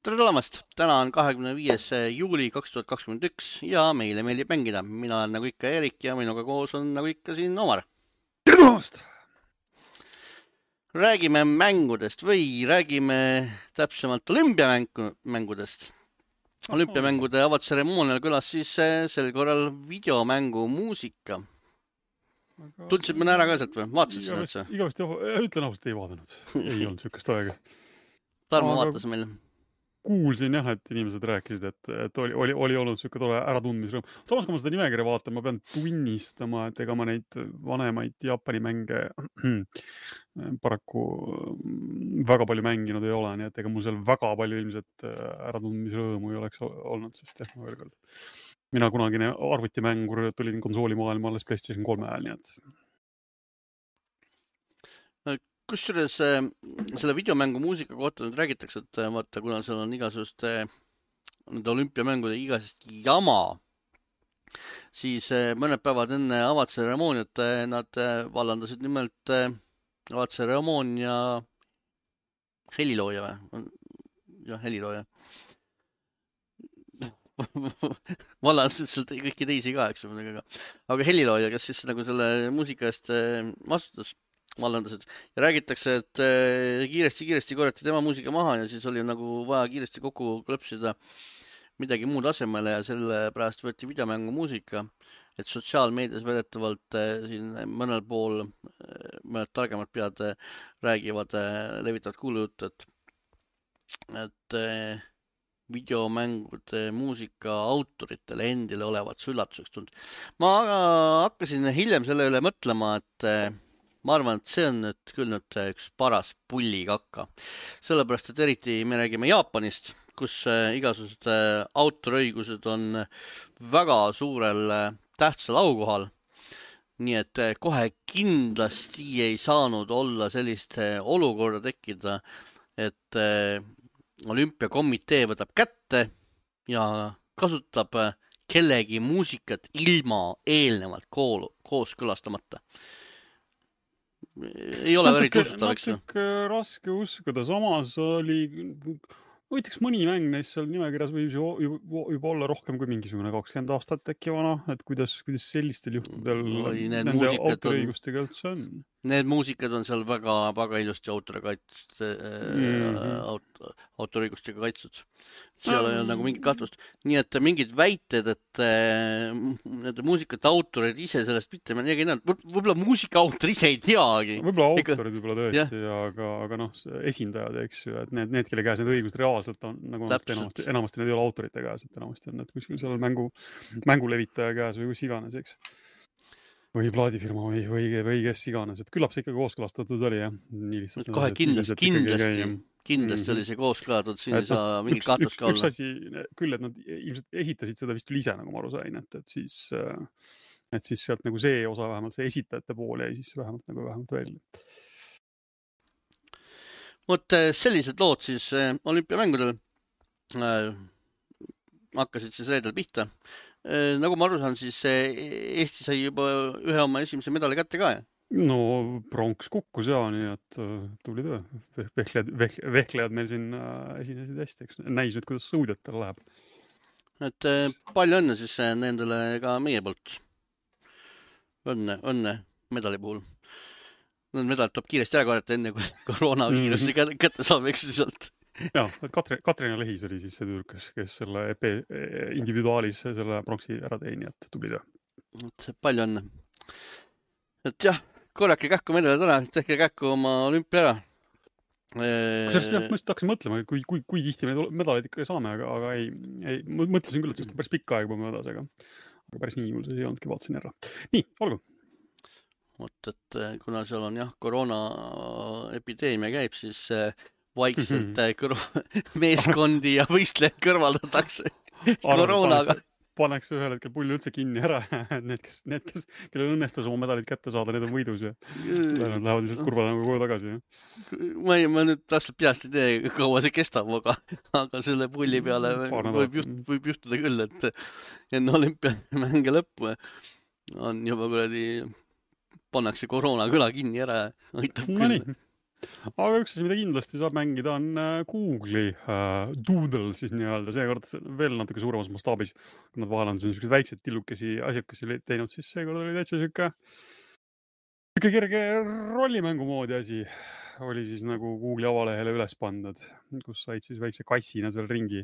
Tere tulemast! Täna on 25. juuli 2021 ja meile meeldib mängida. Mina olen nagu ikka Erik ja minuga koos on nagu ikka siin Omar. Tere tulemast! Räägime mängudest või räägime täpsemalt olümpiamängudest. Olümpiamängude avatseremoonial kõlas siis sel korral videomängu muusika. Tundsid mõne ära ka sealt või? Vaatasid seda üldse? Igavesti, ütlen ausalt, ei vaadanud. Ei olnud sükest aega. Tarmo vaatas meil. Kuulsin jah, et inimesed rääkisid, et oli olnud sükke tole äratundmisrõõm. Samas, kui ma seda nimekirja vaatan, ma pean tunnistama, et ega ma neid vanemaid Jaapani mänge paraku väga palju mänginud ei ole, nii et ega mul seal väga palju ilmselt äratundmisrõõmu ei oleks olnud, sest jah, ma veel kord. Mina kunagine arvutimängur tulin konsoolimaailma alles PlayStation 3 ajal, nii et... Kusjuures selle videomängu muusika kohta nüüd räägitakse, et vaata, kuna seal on igasugust nende olümpiamängude igasest jama, siis mõned päevad enne avatseremooniat nad vallandasid nimelt avatseremoonia helilooja või? Jah, helilooja. Vallandasid sealt kõiki teisi ka, eks ole, aga helilooja, kes siis nagu selle muusika eest vastutas, vallandasid ja räägitakse, et kiiresti korjati tema muusika maha ja siis oli nagu vaja kiiresti kokku klõpsida midagi muud asemele ja sellepärast võeti videomängu muusika, et sotsiaalmeedias väidetavalt siin mõnel pool mõned targemad pead räägivad, levitavad kuulujuttu, et videomängude muusika autoritele endile olevat üllatuseks tulnud. Ma hakkasin hiljem selle üle mõtlema, et ma arvan, et see on nüüd küll nüüd üks paras pullikakka. Sellepärast, et eriti me räägime Jaapanist, kus igasugused autorõigused on väga suurel tähtsal aukohal. Nii et kohe kindlasti ei saanud olla sellist olukorda tekkida, et olümpiakomitee võtab kätte ja kasutab kellegi muusikat ilma eelnevalt kooskõlastamata. Ei ole eriti usutav, eks ju? Natuke raske uskuda, samas oli... Võitaks mõni mäng neist seal nimekirjas võib juba olla rohkem kui mingisugune 20 aastat äkki vana, et kuidas sellistel juhtudel nende autoriõigustega üldse on? Need muusikad on seal väga ilusti autoriõigustega kaitstud. Seal ei ole nagu mingit kahtlust. Nii et mingid väited, et nende muusikate autorid ise sellest mitte võib-olla muusika autor ise ei teagi. Võib-olla autorid võib-olla tõesti, aga noh, esindajad, eks ju, et need, kelle käes need õigused reaalselt on, nagu enamasti need ei ole autorite käes, et enamasti on need kuskil seal mängulevitaja käes või kus iganes, eks. Või plaadifirma või kes iganes, et küllap see ikkagi kooskõlastatud oli, jah. Kohe kindlasti oli see kooskõlatud, siin ei saa mingit kahtlust ka olla. Üks asi küll, et nad ilmselt esitasid seda vist küll ise, nagu ma aru sain, et siis sealt nagu see osa vähemalt, see esitajate pool jäi siis vähemalt välja. Vot sellised lood siis olümpiamängudel hakkasid siis reedel pihta. Nagu ma aru saan, siis Eesti sai juba ühe oma esimese medali kätte ka, jah? No pronks kukkus ja, nii et tuli töö. Vehklejad meil siin esinesid hästi, eks näis nüüd, kuidas sõudjatel läheb. Et palju õnne siis nendele ka meie poolt. Õnne medali puhul. Need medalid tuleb kiiresti ära korjata enne, kui koroonaviirusi kätte saab, eks sealt. Jah, et Katrina Lehis oli siis see tüürkas, kes selle EP individuaalis selle pronksi ära teini, et tubli töö. Palju õnne. Et jah, korjake kähku medalid ära, tehke kähku oma olümpia ära. Kusjuures jah, ma just hakkasin mõtlema, et kui tihti me medaleid ikka saame, aga ei, mõtlesin küll, et sellest päris pikka aega põmme edasi, aga päris nii juhul see ei olnudki, vaatasin ära. Nii, olgu. Vot, et kuna seal on jah, koroona epideemia käib, siis vaikselt meeskondi ja võistlejaid kõrvaldatakse koroonaga. Paneks ühel hetkel pulli üldse kinni ära, need, kellel õnnestas oma medalid kätte saada, need on võidus ja lähevad lihtsalt kurvale nagu koju tagasi. Ma nüüd täpselt peast ei tee, kaua see kestab, aga selle pulli peale võib juhtuda küll, et enne olümpiamänge lõppu on juba kuradi pannakse koroona kõla kinni ära, aitab küll. Aga üks asi, mida kindlasti saab mängida, on Google'i Doodle siis nii-öelda, seekord veel natuke suuremas mastaabis. Kui nad vahel on sellised väiksed tillukesi asjakesi teinud, siis seekord oli täitsa siuke kerge rollimängu moodi asi. Oli siis nagu Google'i avalehele üles pandud, kus said siis väikse kassina seal ringi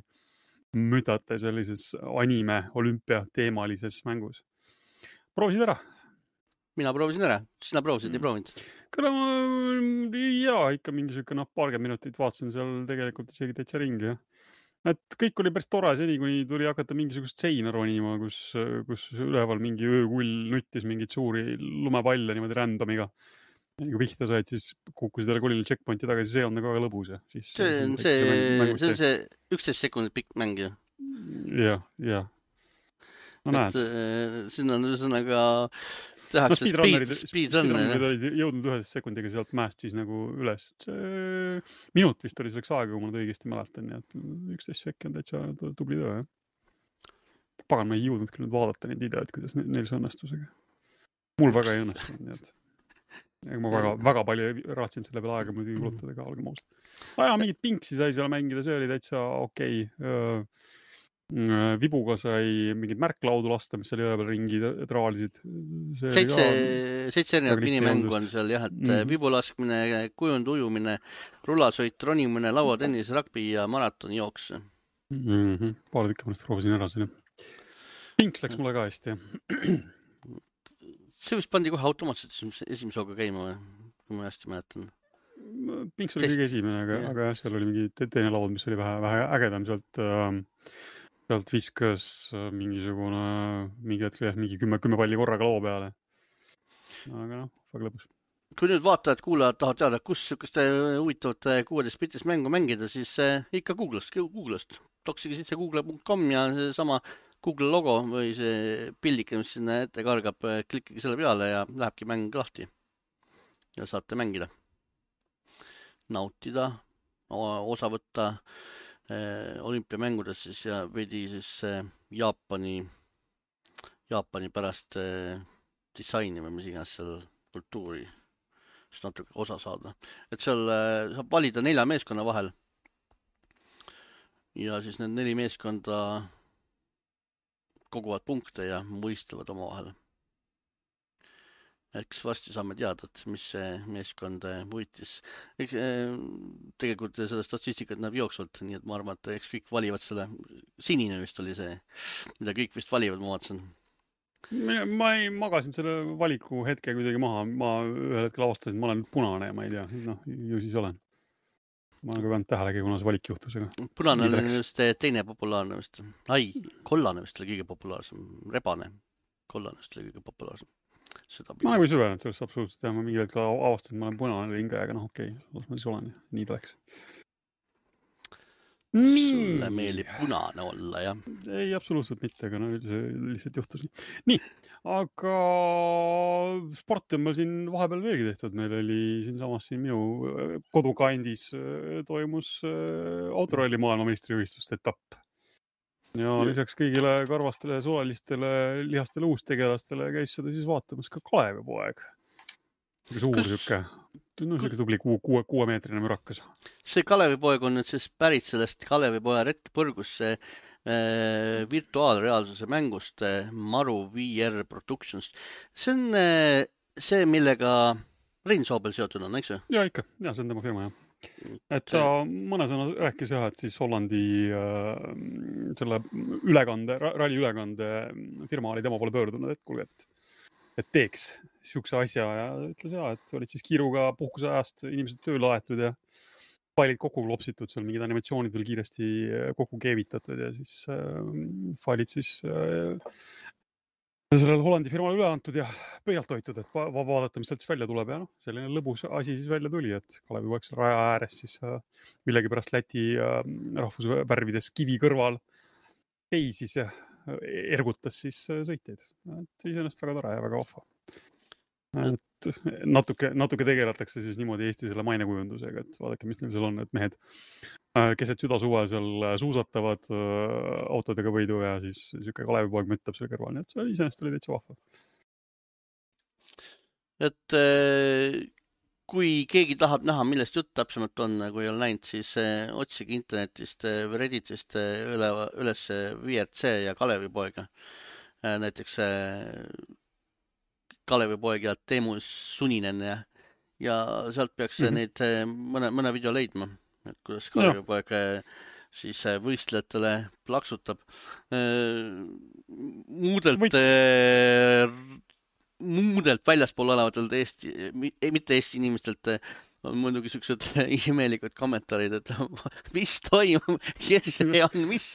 müdata sellises anime olümpia teemalises mängus. Proovisid ära? Mina proovisin ära. Sina proovisid, ei proovinud? Küll jaa, ikka mingi siuke paarkümmend minutit vaatasin seal tegelikult isegi täitsa ringi, jah. Et kõik oli päris tore seni, kuni tuli hakata mingisugust seina ronima, kus üleval mingi öökull nuttis mingit suuri lumepalle niimoodi randomiga. Ja kui pihta said, siis kukkusid jälle kollile checkpointi tagasi, see on nagu väga lõbus. See on see 11 sekundit pikk mäng ju. Jah. No näed. Siin on ühesõnaga tehakse speedrunnerid olid jõudnud 11 sekundiga sealt mäest siis nagu üles. Minut vist oli selleks aega, kui ma nüüd õigesti mäletan, nii et 11 sekki on täitsa tubli töö. Pagan, ma ei jõudnud küll nüüd vaadata neid videoid, kuidas neil see õnnestusega. Mul väga ei õnnestunud, nii et ma väga palju raatsin selle peale aega muidugi kulutada ka algem ausalt. Mingit pinksi sai seal mängida, see oli täitsa okei. Vibuga sai mingid märklaudu lasta, mis oli üle peal ringi traalisid. 7 erinevat minimängu on seal jah, et vibu laskmine, kujund ujumine, rullasõit, ronimine, lauatennis, rugby ja maratonijooks. Paar tükki mõnest proovisin ära siin. Pinks läks mulle ka hästi. See vist pandi kohe automaatselt esimese hooga käima või? Kui ma hästi mäletan. Pinks oli kõige esimene, aga jah, seal oli mingi teine laud, mis oli vähe ägedam sealt viskas mingi hetk mingi 10 palli korraga loo peale. Aga väga lõbus. Kui nüüd vaatajad, kuulajad tahavad teada, kus sükeste huvitavate 16-bitist mängu mängida, siis ikka Google'st. Toksige sitse google.com ja seesama Google logo või see pildike, mis sinna ette kargab, klikkige selle peale ja lähebki mäng lahti. Ja saate mängida. Nautida, osa võtta olümpiamängudes siis ja veidi siis Jaapani pärast disaini või mis iganes seal kultuuri siis natuke osa saada. Et seal saab valida 4 meeskonna vahel. Ja siis need 4 meeskonda koguvad punkte ja mõistavad oma vahel. Eks vasti saame teada, et mis see meeskond võitis. Tegelikult seda statistikat näeb jooksvalt, nii et ma arvan, et eks kõik valivad selle. Sinine vist oli see, mida kõik vist valivad, ma vaatasin. Ma ei magasin selle valiku hetke kuidagi maha. Ma ühel hetkel avastasin, et ma olen punane ja ma ei tea. Ju siis olen. Ma olen ka peanud tähelegi, kuna see valik juhtus. Punane oli just teine populaarne vist. Kollane vist oli kõige populaarsem. Rebane. Kollane vist oli kõige populaarsem. Ma nagu ei süvenenud sellest absoluutselt. Ma mingi hetkel avastasin, et ma olen punane hinge, aga okei, las ma siis olen. Nii ta läks. Sulle meeldib punane olla, jah? Ei, absoluutselt mitte, aga lihtsalt juhtus nii. Nii, aga sporti on meil siin vahepeal veelgi tehtud. Meil oli siinsamas minu kodukandis toimus autoralli maailmameistrivõistluste etapp. Ja lisaks kõigile karvastele, suvalistele, lihastele uustegelastele käis seda siis vaatamas ka Kalevipoeg. Suur siuke tubli 6-meetrine mürakas. See Kalevipoeg on nüüd siis pärit sellest Kalevipoja retkipõrgus virtuaalreaalsuse mängust Maru VR Productions. See on see, millega Rein Soobel seotud on, eks ju? Ja ikka, ja see on tema firma, jah. Et ta mõne sõna rääkis jah, et siis Hollandi selle ralli ülekande firma oli tema poole pöördunud, et kuulge, et teeks siukse asja ja ütles et olid siis kiiruga puhkuse ajast inimesed tööle aetud ja failid kokku klopsitud, seal mingid animatsioonid veel kiiresti kokku keevitatud ja siis failid siis sellele Hollandi firmale üle antud ja pöialt hoitud, et vaadata, mis sealt siis välja tuleb ja selline lõbus asi siis välja tuli, et Kalevipoeg raja ääres siis millegipärast Läti rahvusvärvides kivi kõrval seisis ja ergutas siis sõitjaid. Et iseenesest väga tore ja väga vahva. Et natuke tegeletakse siis niimoodi Eesti selle mainekujundusega, et vaadake, mis neil seal on, et mehed keset südasuve seal suusatavad autodega võidu ja siis siuke Kalevipoeg müttab selle kõrval, nii et see iseenesest oli täitsa vahva. Et kui keegi tahab näha, millest jutt täpsemalt on, kui ei ole näinud, siis otsige internetist või Redditist üles VRC ja Kalevipoega. Näiteks Kalevipoeg ja Teemu Suninen ja sealt peaks neid mõne video leidma, et kuidas Kalevipoeg siis võistlejatele plaksutab. Muudelt väljaspool olevatelt mitte Eesti inimestelt on muidugi siuksed imelikud kommentaarid, et mis toimub, kes see on, mis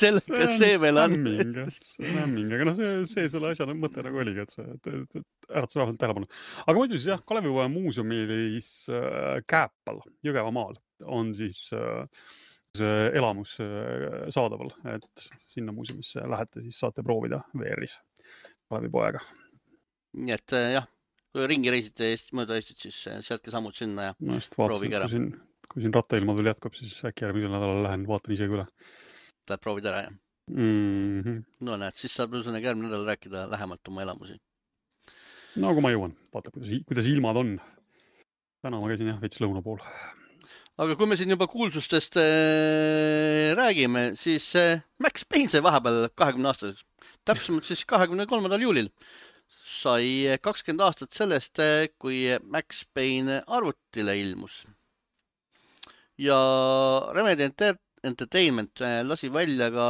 sellega see veel on. Lämming, aga see selle asja mõte nagu oligi, et äratas vähemalt tähelepanu. Aga muidu siis jah, Kalevipoja muuseumis Kääpal, Jõgevamaal on siis see elamus saadaval, et sinna muuseumisse lähete, siis saate proovida VR-is Kalevipoega. Nii et jah, kui ringi reisite mööda Eestit, siis sealtki sammud sinna ja proovige ära. Kui siin rattailmad veel jätkub, siis äkki järgmisel nädalal lähen, vaatan isegi üle. Läheb proovid ära, jah? No näed, siis saab ühesõnaga järgmine nädal rääkida lähemalt oma elamusi. No kui ma jõuan, vaata, kuidas ilmad on. Täna ma käisin jah, veits lõuna pool. Aga kui me siin juba kuulsustest räägime, siis Max Payne sai vahepeal 20 aastaseks. Täpsemalt siis 23. juulil. Sai 20 aastat sellest, kui Max Payne arvutile ilmus. Ja Remedy Entertainment lasi välja ka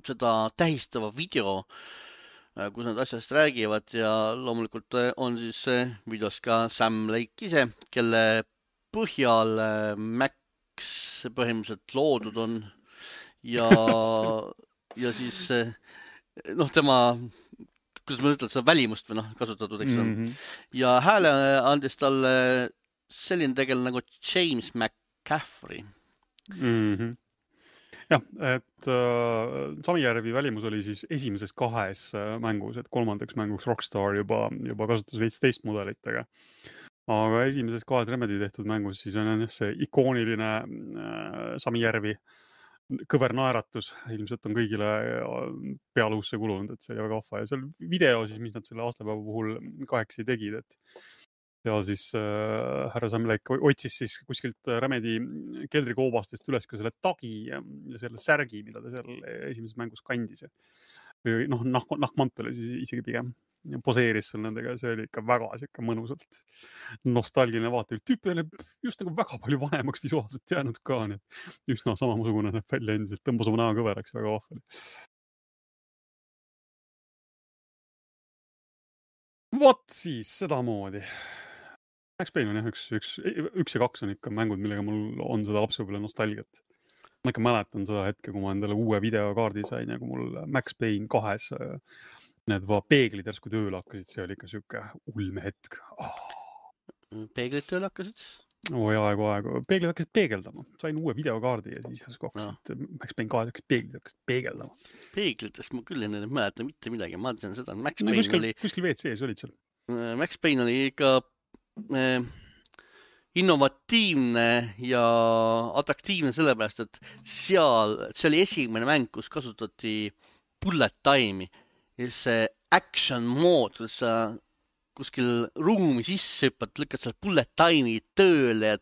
seda tähistava video, kus nad asjast räägivad ja loomulikult on siis videos ka Sam Lake ise, kelle põhjal Max põhimõtteliselt loodud on ja siis tema kuidas ma ütlen, seda välimust või kasutatud, eks on. Ja hääle andis talle selline tegelane nagu James McCaffrey. Jah, et Samijärvi välimus oli siis esimeses 2 mängus, et 3. mänguks Rockstar juba kasutas veits teist mudelitega. Aga esimeses 2 Remedy tehtud mängus siis on see ikooniline Samijärvi kõver naeratus, ilmselt on kõigile pealuusse kulunud, et see oli väga vahva ja seal video siis, mis nad selle aastapäeva puhul 8 tegid, et ja siis härra Sam Lake otsis siis kuskilt Remedy keldrikoobastest üles ka selle tagi ja selle särgi, mida ta seal esimeses mängus kandis. Või nahkmantel oli isegi pigem. Poseeris seal nendega ja see oli ikka väga mõnusalt nostalgiline vaate. Tüüp oli just nagu väga palju vanemaks visuaalselt jäänud ka, nii et üsna samasugune näeb välja endiselt, tõmbas oma näo kõveraks väga vahvali. Vot siis sedamoodi. Max Payne on jah, üks ja 2 on ikka mängud, millega mul on seda lapsepõlve nostalgiat. Ma ikka mäletan seda hetke, kui ma endale uue videokaardi sain ja kui mul Max Payne 2 need peeglid järsku tööle hakkasid, see oli ikka siuke ulme hetk. Peeglid tööle hakkasid? Aegu. Peeglid hakkasid peegeldama. Sain uue videokaardi ja siis järsku hakkasid Max Payne 2 peeglid hakkasid peegeldama. Peeglitest ma küll ei mäleta mitte midagi. Ma tean seda, Max Payne oli... Kuskil WC-s olid seal. Max Payne oli ikka innovatiivne ja atraktiivne sellepärast, et see oli esimene mäng, kus kasutati bullet time'i. Ja see action mode, kus sa kuskil ruumi sisse hüppad, lükkad seal bullet time'i tööle ja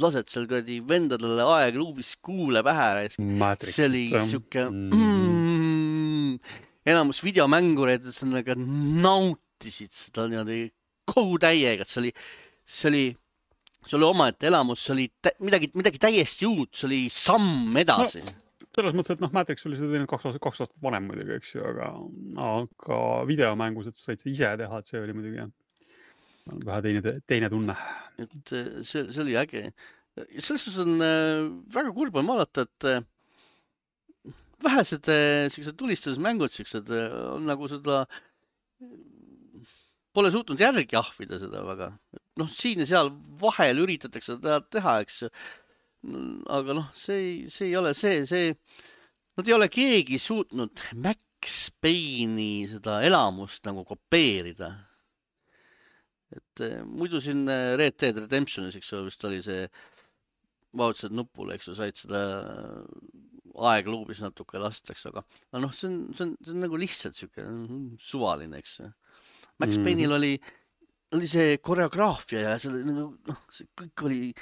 lased seal kuradi vendadele aegluubis kuule pähe. See oli siuke enamus videomängureid nautisid seda niimoodi kogu täiega, et see oli omaette elamus, see oli midagi täiesti uut, see oli samm edasi. Selles mõttes, et Matrix oli seda teinud 2 aastat vanem muidugi, eks ju, aga videomängus, et sa said ise teha, et see oli muidugi vähe teine tunne. Et see oli äge. Selles on väga kurb on vaadata, et vähesed tulistusmängud on nagu seda pole suutnud järgi ahvida seda väga. Siin ja seal vahel üritatakse seda teha, eks. Aga see ei ole nad ei ole keegi suutnud Max Payne'i seda elamust nagu kopeerida. Et muidu siin Red Dead Redemptionis, eks vist oli see vajutasid nupule, eks said seda aegluubis natuke lastaks, aga see on nagu lihtsalt siuke suvaline, eks. Max Payne'il oli oli see koreograafia ja see oli nagu, noh, see kõik oli,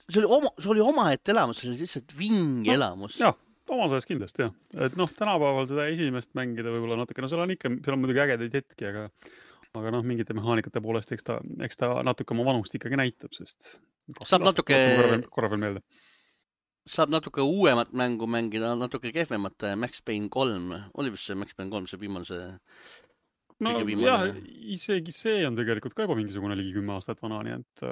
see oli omaette elamus, see oli lihtsalt vinge elamus. Jah, omas ajas kindlasti jah. Et noh, tänapäeval seda esimest mängida võib-olla natuke, no seal on muidugi ägedaid hetki, aga noh, mingite mehaanikate poolest, eks ta natuke oma vanust ikkagi näitab, sest saab natuke, korra veel meelde. Saab natuke uuemat mängu mängida, natuke kehvemat Max Payne 3. Oli vist see Max Payne 3, see viimane see? No jah, isegi see on tegelikult ka juba mingisugune ligi 10 aastat vana, nii et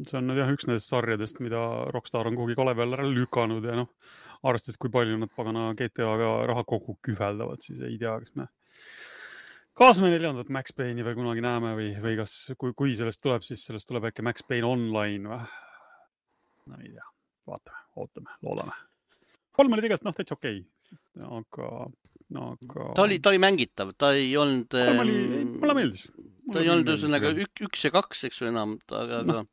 see on jah üks nendest sarjadest, mida Rockstar on kuhugi kale peal ära lükanud ja noh, arvestades kui palju nad pagana GTA-ga raha kokku kühveldavad, siis ei tea, kas me 4. Max Payne'i veel kunagi näeme või kas, kui sellest tuleb, siis sellest tuleb äkki Max Payne Online või? No ei tea, vaatame, ootame, loodame. 3 oli tegelikult noh, täitsa okei, aga ta oli mängitav, ta ei olnud mulle meeldis. Ta ei olnud ühesõnaga 1 ja 2, eks ju enam, aga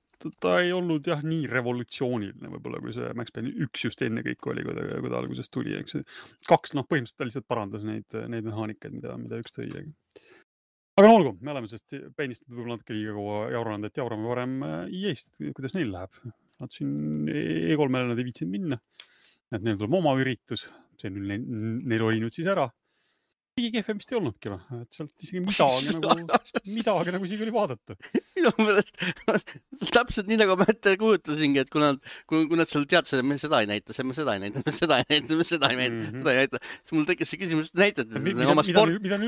ta ei olnud jah nii revolutsiooniline võib-olla, kui see Max Payne 1 just enne kõik oli, kui ta alguses tuli, eks 2 noh, põhimõtteliselt ta lihtsalt parandas neid mehaanikaid, mida 1 tõi. Aga no olgu, me oleme sellest Payne'ist võib-olla natuke liiga kaua jauranud, et jaurame varem EA-st, kuidas neil läheb. Nad siin E3-le nad ei viitsinud minna, et neil tuleb oma üritus, see neil oli nüüd siis ära. Kõige kehvemist ei olnudki, et sealt isegi midagi nagu isegi oli vaadata. Minu meelest täpselt nii nagu ma ette kujutasingi, et kui nad seal teadsid, et me seda ei näita, me seda ei näita, me seda ei näita, me seda ei näita, siis mul tekkis see küsimus, et näitate oma sport... Mida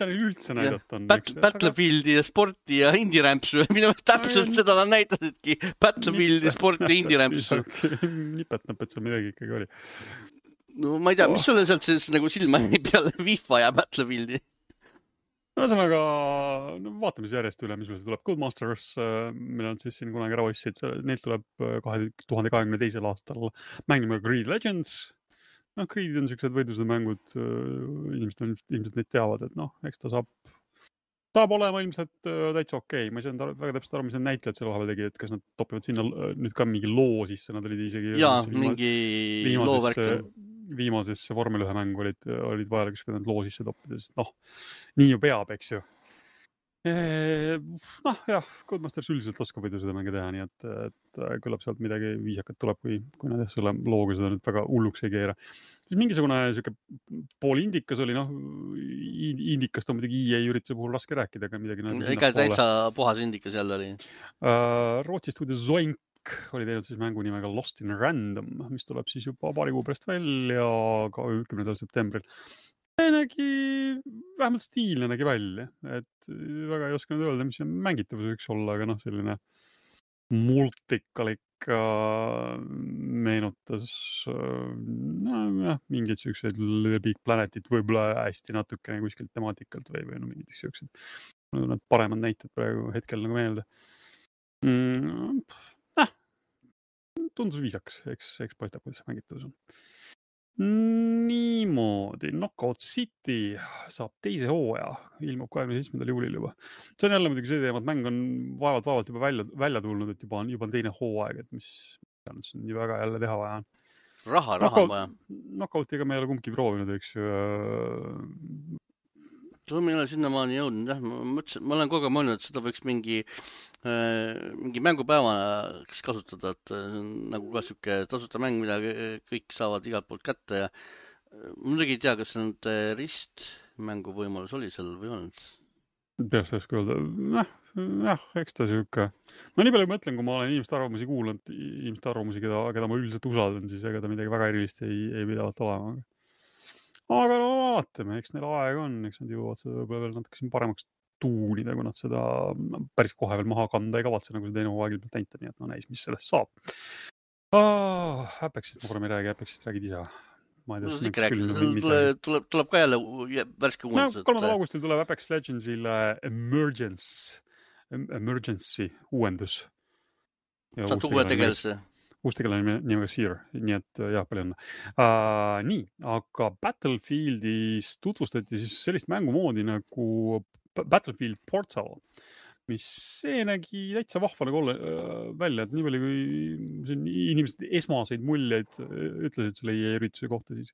neil üldse näidata on? Battlefieldi ja sporti ja indie-rämpsu. Minu meelest täpselt seda nad näitasidki. Battlefieldi, sporti ja indie-rämpsu. Nipetnab, et seal midagi ikkagi oli. No ma ei tea, mis sulle sealt siis nagu silma jäi peale FIFA ja Battlefieldi? Ühesõnaga, vaatame siis järjest üle, mis meil see tuleb. Codemasters, mille on siis siin kunagi ära ostsid, neilt tuleb 2022. aastal mäng nimega Creed Legends. No, Creedid on sellised võidlused mängud, inimesed ilmselt neid teavad, et noh, eks ta saab olema ilmselt täitsa okei. Ma ei saanud väga täpselt aru, mis need näitlejad selle vahepeal tegi, et kas nad topivad sinna nüüd ka mingi loo sisse, nad olid isegi... Jaa, mingi loovärk. Viimasesse Formel 1 mängu olid vajalikus, kui nad loo sisse toppida, sest noh, nii ju peab, eks ju. Noh, jah, Codemasters üldiselt oskab võidu seda mänge teha, nii et küllap sealt midagi viisakat tuleb, kui nad selle looga seda nüüd väga hulluks ei keera. Siis mingisugune siuke pool indikas oli, noh, indikast on muidugi EA ürituse puhul raske rääkida, aga midagi... Ega täitsa puhas indikas jälle oli. Rootsi stuudio Zoink oli teinud siis mängu nimega Lost in Random, mis tuleb siis juba paari kuu pärast välja ka 10. septembril. See nägi, vähemalt stiilne nägi välja, et väga ei oska nüüd öelda, mis see mängitavus võiks olla, aga noh, selline multikalik meenutas mingid sellised Little Big Planetit võib-olla hästi natukene kuskilt temaatikalt või no mingid sellised paremad näited praegu hetkel nagu meelde. Tundus viisaks, eks paistab, kuidas mängitavus on. Niimoodi, Knockout City saab 2. hooaja, ilmub 27. juulil juba. See on jälle muidugi see teema, et mäng on vaevalt juba välja tulnud, et juba on 2. hooaeg, et mis on nii väga jälle teha vaja on. Raha on vaja. Knockoutiga me ei ole kumbki proovinud, eks ju. Ma ei ole sinnamaani jõudnud, jah. Ma olen kogu aeg mõelnud, et seda võiks mingi mängupäeva kasutada, et nagu ka siuke tasuta mäng, mida kõik saavad igalt poolt kätte ja muidugi ei tea, kas nüüd ristmängu võimalus oli seal või olnud. Peast ei oska öelda. Jah, eks ta siuke. No nii palju mõtlen, kui ma olen inimeste arvamusi kuulanud, inimeste arvamusi, keda ma üldiselt usaldan, siis ega ta midagi väga erilist ei pidavat olema. Aga no vaatame, eks neil aeg on, eks nad jõuavad seda võib-olla veel natuke siin paremaks tuunida, kui nad seda päris kohe veel maha kanda ei kavatse, nagu see teine hooaeg ilmselt näita, nii et no näis, mis sellest saab. Apexist ma korra ei räägi, Apexist räägid ise. Tuleb ka jälle värske uuendused. 3. augustil tuleb Apex Legendsile Emergency uuendus. Saad uue tegelase. Uus tegelane nimega Seer, nii et jah, palju õnne. Nii, aga Battlefieldis tutvustati siis sellist mängumoodi nagu Battlefield Portal, mis see nägi täitsa vahva nagu välja, et nii palju kui inimesed esmaseid muljeid ütlesid selle ürituse kohta, siis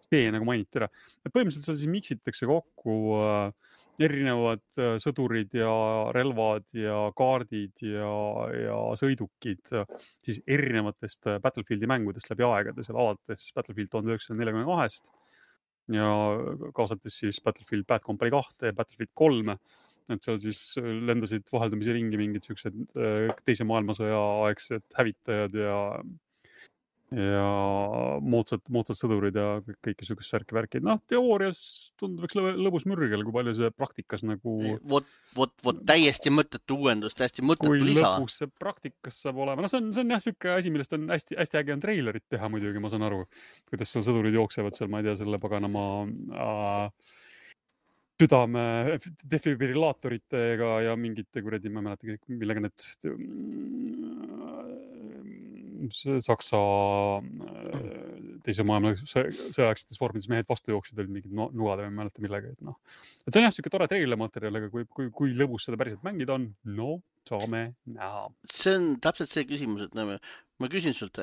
see nagu mainiti ära. Põhimõtteliselt seal siis miksitakse kokku erinevad sõdurid ja relvad ja kaardid ja sõidukid siis erinevatest Battlefieldi mängudest läbi aegade, seal alates Battlefield 1942 ja kaasates siis Battlefield Bad Company 2 ja Battlefield 3, et seal siis lendasid vaheldumisi ringi mingid siuksed teise maailmasõja aegsed hävitajad ja moodsad sõdurid ja kõike sugust särki-värki. Noh, teoorias tundub üks lõbus mürgel, kui palju see praktikas nagu... Vot täiesti mõttetu uuendus, täiesti mõttetu kui lisa. Kui lõbus see praktikas saab olema. No see on jah siuke asi, millest on hästi äge on treilerit teha muidugi, ma saan aru. Kuidas seal sõdurid jooksevad seal, ma ei tea, selle paganama südame defibrillaatoritega ja mingite kuradi, ma ei mäleta, millega need Saksa teise maailma sõjaegsetes vormides mehed vastu jooksid, olid mingid nugade või ma ei mäleta millega. Et, et see on jah siuke tore treilermaterjal, aga kui lõbus seda päriselt mängida on, no saame näha. See on täpselt see küsimus, et ma küsin sult,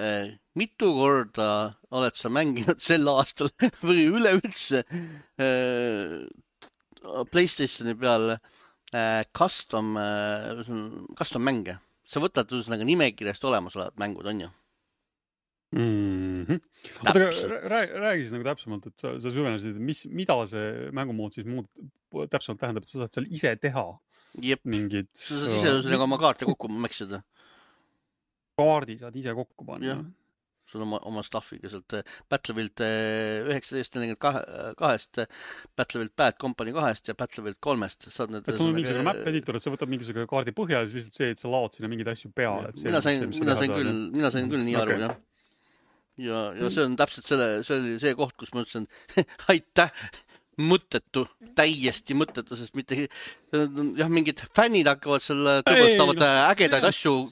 mitu korda oled sa mänginud sel aastal või üleüldse PlayStationi peal custom mänge? Sa võtad ühesõnaga nimekirjast olemasolevad mängud, on ju? Räägi siis nagu täpsemalt, et sa süvenesid, mida see mängumood siis täpsemalt tähendab, et sa saad seal ise teha mingid... Sa saad ise ühesõnaga oma kaarte kokku mäksida. Kaardi saad ise kokku panna. Jah. Sul oma staffiga sealt Battlefield 1942, Battlefield Bad Company 2 ja Battlefield 3. Et sul on mingisugune map editor, et sa võtad mingisugune kaardi põhja ja siis lihtsalt see, et sa laod sinna mingeid asju peale. Mina sain küll nii aru, jah. Ja see on täpselt see oli see koht, kus ma ütlesin, aitäh, mõttetu, täiesti mõttetu, sest mitte, jah, mingid fännid hakkavad selle tõbõstavad ägedaid asju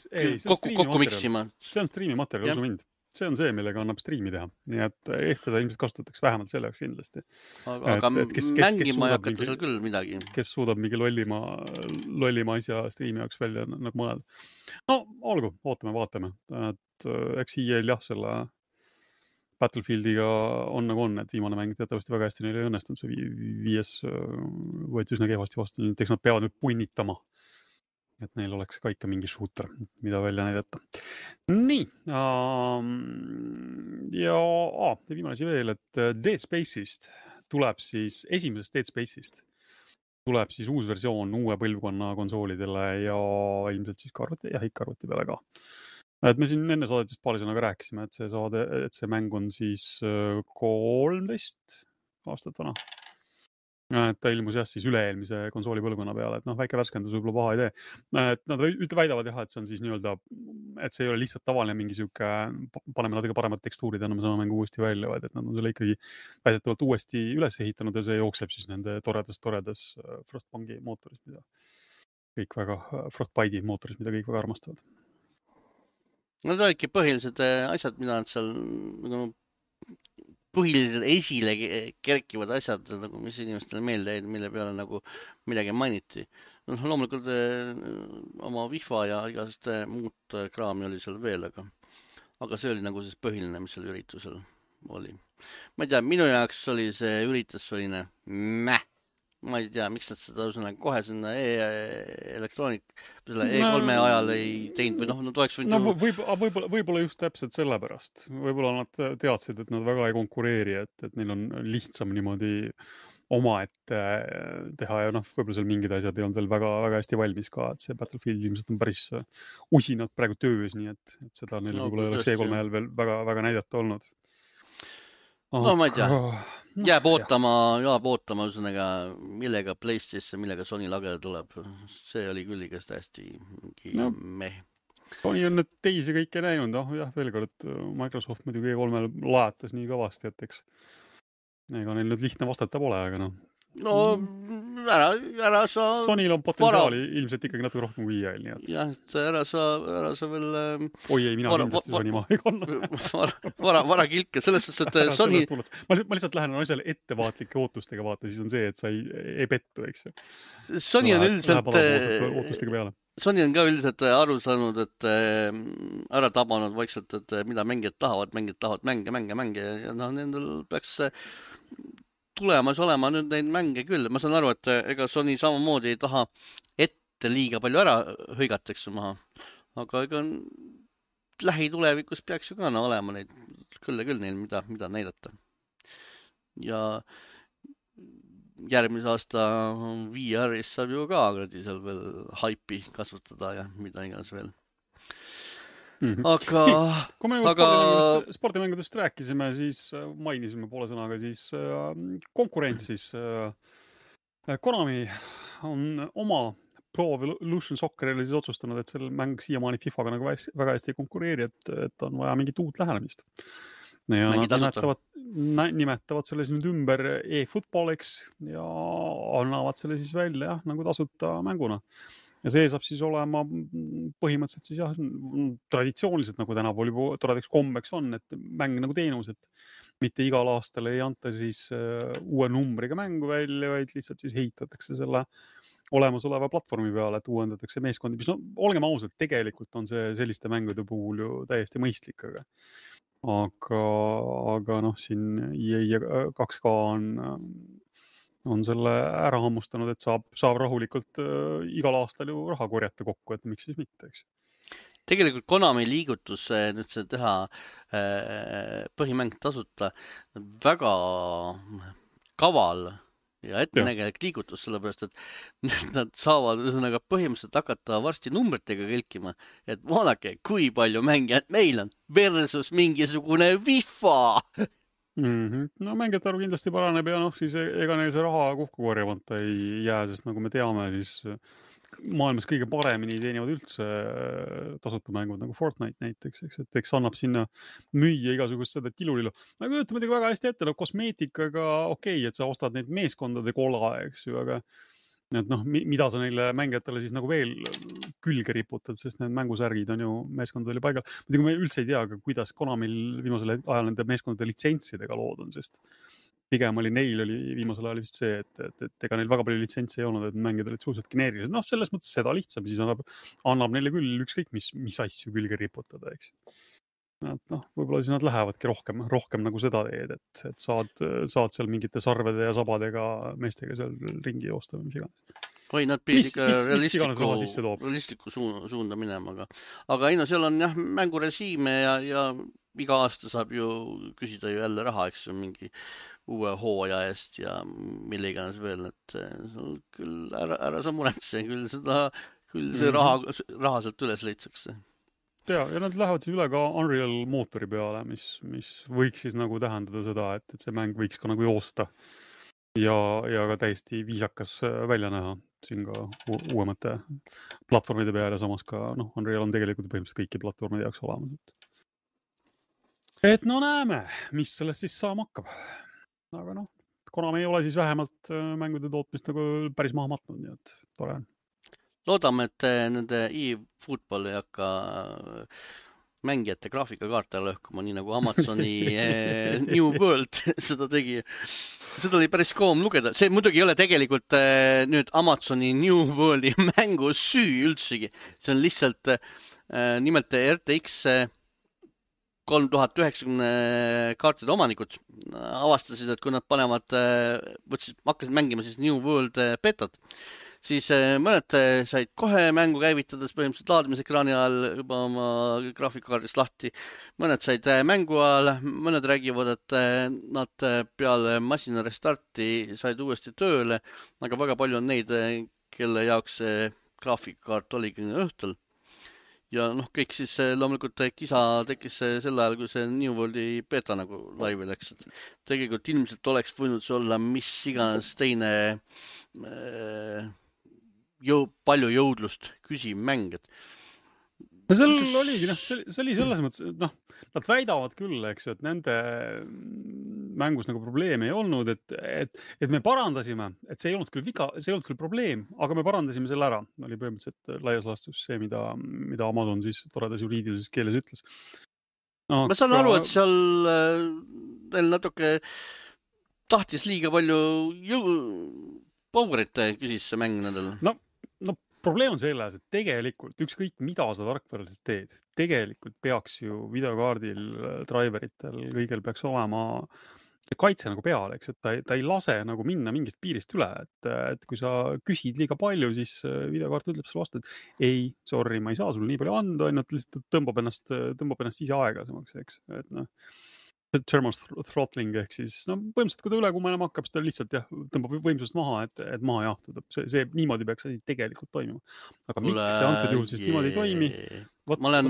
kokku miksima. See on striimi materjal, usu mind. See on see, millega annab striimi teha. Nii et Eestada ilmselt kasutatakse vähemalt selle jaoks kindlasti. Aga mängima ei hakata seal küll midagi. Kes suudab mingi lollima asja striimi jaoks välja nagu mõned. No, olgu, vaatame. Et eks EA-l jah, selle Battlefieldiga on nagu on, et viimane mäng teatavasti väga hästi neile ei õnnestunud. See 5 võeti üsna kehvasti vastu. Eks nad peavad nüüd punnitama. Et neil oleks ka ikka mingi shooter, mida välja näidata. Nii. Ja viimane asi veel, et Dead Space'ist tuleb siis, esimesest Dead Space'ist tuleb siis uus versioon uue põlvkonna konsoolidele ja ilmselt siis ikka arvuti peale ka. Et me siin enne saadetist paari sõnaga rääkisime, et see mäng on siis 13 aastat vana. Et ta ilmus jah siis üle-eelmise konsooli põlvkonna peale, et väike värskendus võib-olla paha ei tee. Et nad väidavad jah, et see on siis nii-öelda, et see ei ole lihtsalt tavaline mingi siuke, paneme natuke paremad tekstuurid ja anname sama mängu uuesti välja, vaid et nad on selle ikkagi väidetavalt uuesti üles ehitanud ja see jookseb siis nende toredas Frostbanki mootoris, mida kõik väga, Frostbite'i mootoris, mida kõik väga armastavad. Need olidki põhilised asjad, mida nad seal põhilised esile kerkivad asjad, nagu mis inimestele meelde jäid, mille peale nagu midagi mainiti. Loomulikult oma vihva ja igast muud kraami oli seal veel, aga see oli nagu siis põhiline, mis seal üritusel oli. Ma ei tea, minu jaoks oli see üritus selline ma ei tea, miks nad seda kohe sinna selle E3 ajal ei teinud või nad oleks võinud... Võib-olla just täpselt sellepärast. Võib-olla nad teadsid, et nad väga ei konkureeri, et neil on lihtsam niimoodi omaette teha ja võib-olla seal mingid asjad ei olnud veel väga, väga hästi valmis ka, et see Battlefield ilmselt on päris usinad praegu töös, nii et seda neil võib-olla ei oleks E3 ajal veel väga, väga näidata olnud. No ma ei tea. Jääb ootama ühesõnaga, millega PlayStation, millega Sony lagele tuleb. See oli küll igast hästi meh. Sony on need teisi kõike näinud. Jah, veel kord, Microsoft muidugi E3-l lajatas nii kõvasti, et eks ega neil nüüd lihtne vastata pole, aga No, ära sa... Sonyl on potentsiaali ilmselt ikkagi natuke rohkem kui EA-l, nii et... Jah, et ära sa veel... Oi ei, mina kindlasti Sony maha ei kanna. Vara kilke, selles suhtes, et Sony... Ma lihtsalt lähen asjale ettevaatlike ootustega vaata, siis on see, et sa ei pettu, eks ju. Sony on üldiselt... ootustega peale. Sony on ka üldiselt aru saanud, et ära tabanud vaikselt, et mida mängijad tahavad mänge ja nendel peaks tulemas olema nüüd neid mänge küll. Ma saan aru, et ega Sony samamoodi ei taha ette liiga palju ära hõigatakse maha. Aga ega lähitulevikus peaks ju ka olema neid küll ja küll neil, mida näidata. Ja järgmise aasta VR-is saab ju ka seal veel haipi kasvatada ja mida iganes veel. Aga... Kui me spordimängudest rääkisime, siis mainisime poole sõnaga siis konkurentsis. Konami on oma Pro Evolution Soccer'ile siis otsustanud, et seal mäng siiamaani FIFAga nagu väga hästi ei konkureeri, et on vaja mingit uut lähenemist. Ja nad nimetavad selle nüüd ümber e-footballiks ja annavad selle siis välja nagu tasuta mänguna. Ja see saab siis olema põhimõtteliselt siis traditsiooniliselt nagu tänapäeval juba toredaks kombeks on, et mäng nagu teenus, et mitte igal aastal ei anta siis uue numbriga mängu välja, vaid lihtsalt siis heitatakse selle olemasoleva platvormi peale, et uuendatakse meeskondi, mis olgem ausalt, tegelikult on see selliste mängude puhul ju täiesti mõistlik, aga siin EA 2K on selle ära hammustanud, et saab rahulikult igal aastal ju raha korjata kokku, et miks siis mitte, eks. Tegelikult Konami liigutus nüüd see teha põhimäng tasuta väga kaval ja ettenägelik liigutus, sellepärast, et nüüd nad saavad ühesõnaga põhimõtteliselt hakata varsti numbritega kelkima, et vaadake, kui palju mängijad meil on versus mingisugune FIFA. No mängijate arv kindlasti paraneb ja siis ega neil see raha kokku korjamata ei jää, sest nagu me teame, siis maailmas kõige paremini teenivad üldse tasuta mängud nagu Fortnite näiteks, eks annab sinna müüa igasugust seda tilulillu. Ma kujutan muidugi väga hästi ette, kosmeetikaga okei, et sa ostad neid meeskondade kola, eks ju, aga mida sa neile mängijatele siis nagu veel külge riputad, sest need mängusärgid on ju meeskondadele paigal. Muidugi me üldse ei tea, kuidas Konamil viimasel ajal nende meeskondade litsentsidega lood on, sest pigem neil oli viimasel ajal vist see, et ega neil väga palju litsentsi ei olnud, et mängijad olid suhteliselt geneerilised. Selles mõttes seda lihtsam, siis annab neile küll ükskõik, mis asju külge riputada, eks. Võib-olla siis nad lähevadki rohkem nagu seda teed, et saad seal mingite sarvede ja sabadega meestega seal ringi joosta või mis iganes. Või nad pidid ikka realistliku suunda minema, aga seal on jah mängurežiime ja iga aasta saab ju küsida ju jälle raha, eks ju, mingi uue hooaja eest ja mille iganes veel, et küll ära sa muretse, küll see raha sealt üles leitsakse. Ja nad lähevad siis üle ka Unreal mootori peale, mis võiks siis nagu tähendada seda, et see mäng võiks ka nagu joosta ja ka täiesti viisakas välja näha siin ka uuemate platvormide peale ja samas ka Unreal on tegelikult põhimõtteliselt kõiki platvormide jaoks olemas. Et näeme, mis sellest siis saama hakkab. Aga Konami ei ole siis vähemalt mängude tootmist nagu päris maha matnud, nii et tore on. Loodame, et nende e-football ei hakka mängijate graafikakaarte lõhkuma, nii nagu Amazoni New World seda tegi. Seda oli päris koom lugeda. See muidugi ei ole tegelikult nüüd Amazoni New Worldi mängu süü üldsegi. See on lihtsalt nimelt RTX 3090 kaartide omanikud avastasid, et kui nad hakkasid mängima siis New World betat, siis mõned said kohe mängu käivitades põhimõtteliselt laadimisekraani ajal juba oma graafikakaardist lahti. Mõned said mängu ajal, mõned räägivad, et nad peale masina restarti said uuesti tööle, aga väga palju on neid, kelle jaoks graafikakaart oligi õhtul. Ja kõik siis loomulikult kisa tekkis sel ajal, kui see New Worldi beta nagu laivi läks. Tegelikult ilmselt oleks võinud see olla mis iganes teine palju jõudlust küsiv mäng. Seal oligi, see oli selles mõttes, nad väidavad küll, eks, et nende mängus nagu probleeme ei olnud, et me parandasime, et see ei olnud küll viga, see ei olnud küll probleem, aga me parandasime selle ära. Oli põhimõtteliselt laias laastus see, mida Amazon siis toredas juriidilises keeles ütles. Ma saan aru, et seal neil natuke tahtis liiga palju powerit küsis see mäng nendel. Probleem on selles, et tegelikult ükskõik mida sa tarkvaraliselt teed, tegelikult peaks ju videokaardil, driveritel kõigil peaks olema kaitse nagu peale, eks, et ta ei lase nagu minna mingist piirist üle, et kui sa küsid liiga palju, siis videokaart ütleb sulle vastu, et ei, sorry, ma ei saa sulle nii palju anda, ainult lihtsalt tõmbab ennast ise aeglasemaks, eks, et noh, thermal throttling ehk siis, no põhimõtteliselt, kui ta üle kuumenema hakkab, siis ta lihtsalt jah, tõmbab võimsust maha, et maha jahtuda. See niimoodi peaks asi tegelikult toimima. Aga Kuule, miks see antud juhul siis niimoodi ei toimi? ma olen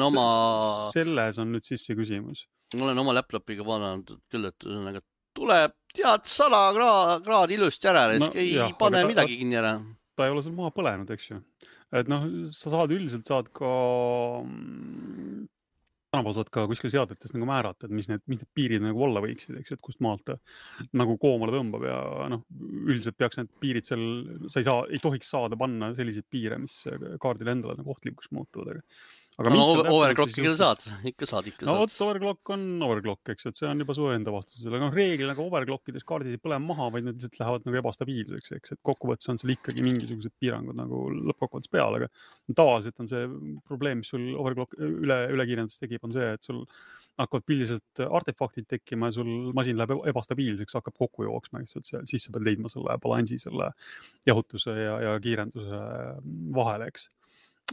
selles on nüüd siis see küsimus. Ma olen oma laptopiga vaadanud küll, et tuleb tead 100 kraadi ilusti ära, siis ei pane midagi kinni ära. Ta ei ole sul maha põlenud, eks ju. Et noh, sa üldiselt saad ka tänapäeval saad ka kuskil seadetes nagu määrata, et mis need piirid nagu olla võiksid, eks ju, et kust maalt ta nagu koomale tõmbab ja noh, üldiselt peaks need piirid seal, ei tohiks saada panna selliseid piire, mis kaardile endale nagu ohtlikuks muutuvad, aga no overclockiga saad, ikka saad. No vot, overclock on overclock, eks, et see on juba su enda vastusele. No reeglina nagu overclockides kaardid ei põle maha, vaid need lihtsalt lähevad nagu ebastabiilseks, eks, et kokkuvõttes on seal ikkagi mingisugused piirangud nagu lõppkokkuvõttes peal, aga tavaliselt on see probleem, mis sul overclock ülekiirendus tekib, on see, et sul hakkavad pildiselt artefaktid tekkima ja sul masin läheb ebastabiilseks, hakkab kokku jooksma, eks, et siis sa pead leidma selle balansi selle jahutuse ja kiirenduse vahele, eks.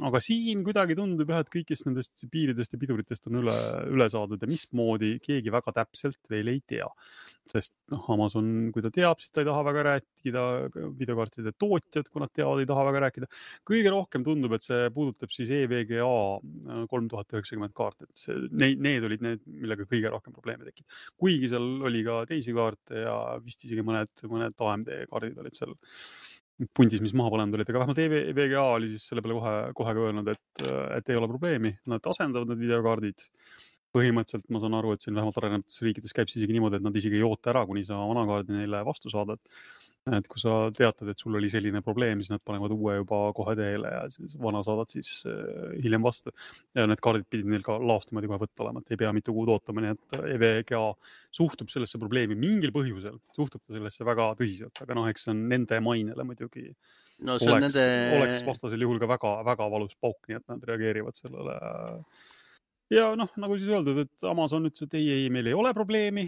Aga siin kuidagi tundub jah, et kõikist nendest piiridest ja piduritest on üle saadud ja mismoodi keegi väga täpselt veel ei tea. Sest Amazon, kui ta teab, siis ta ei taha väga rääkida, videokaartide tootjad, kui nad teavad, ei taha väga rääkida. Kõige rohkem tundub, et see puudutab siis EVGA 3090 kaarte, et need olid need, millega kõige rohkem probleeme tekib. Kuigi seal oli ka teisi kaarte ja vist isegi mõned AMD kaardid olid seal pundis, mis maha põlenud olid, aga vähemalt EVGA oli siis selle peale kohe öelnud, et ei ole probleemi, nad asendavad need videokaardid. Põhimõtteliselt ma saan aru, et siin vähemalt arenevates riikides käib isegi niimoodi, et nad isegi ei oota ära, kuni sa vana kaardi neile vastu saadad. Et kui sa teatad, et sul oli selline probleem, siis nad panevad uue juba kohe teele ja siis vana saadad siis hiljem vastu. Ja need kaardid pidid neil ka laastimoodi kohe võtta olema, et ei pea mitu kuud ootama, nii et EVGA suhtub sellesse probleemi mingil põhjusel, suhtub ta sellesse väga tõsiselt, aga eks see on nende mainele muidugi no, oleks vastasel juhul ka väga, väga valus pauk, nii et nad reageerivad sellele. Ja nagu siis öeldud, et Amazon ütles, et ei, meil ei ole probleemi.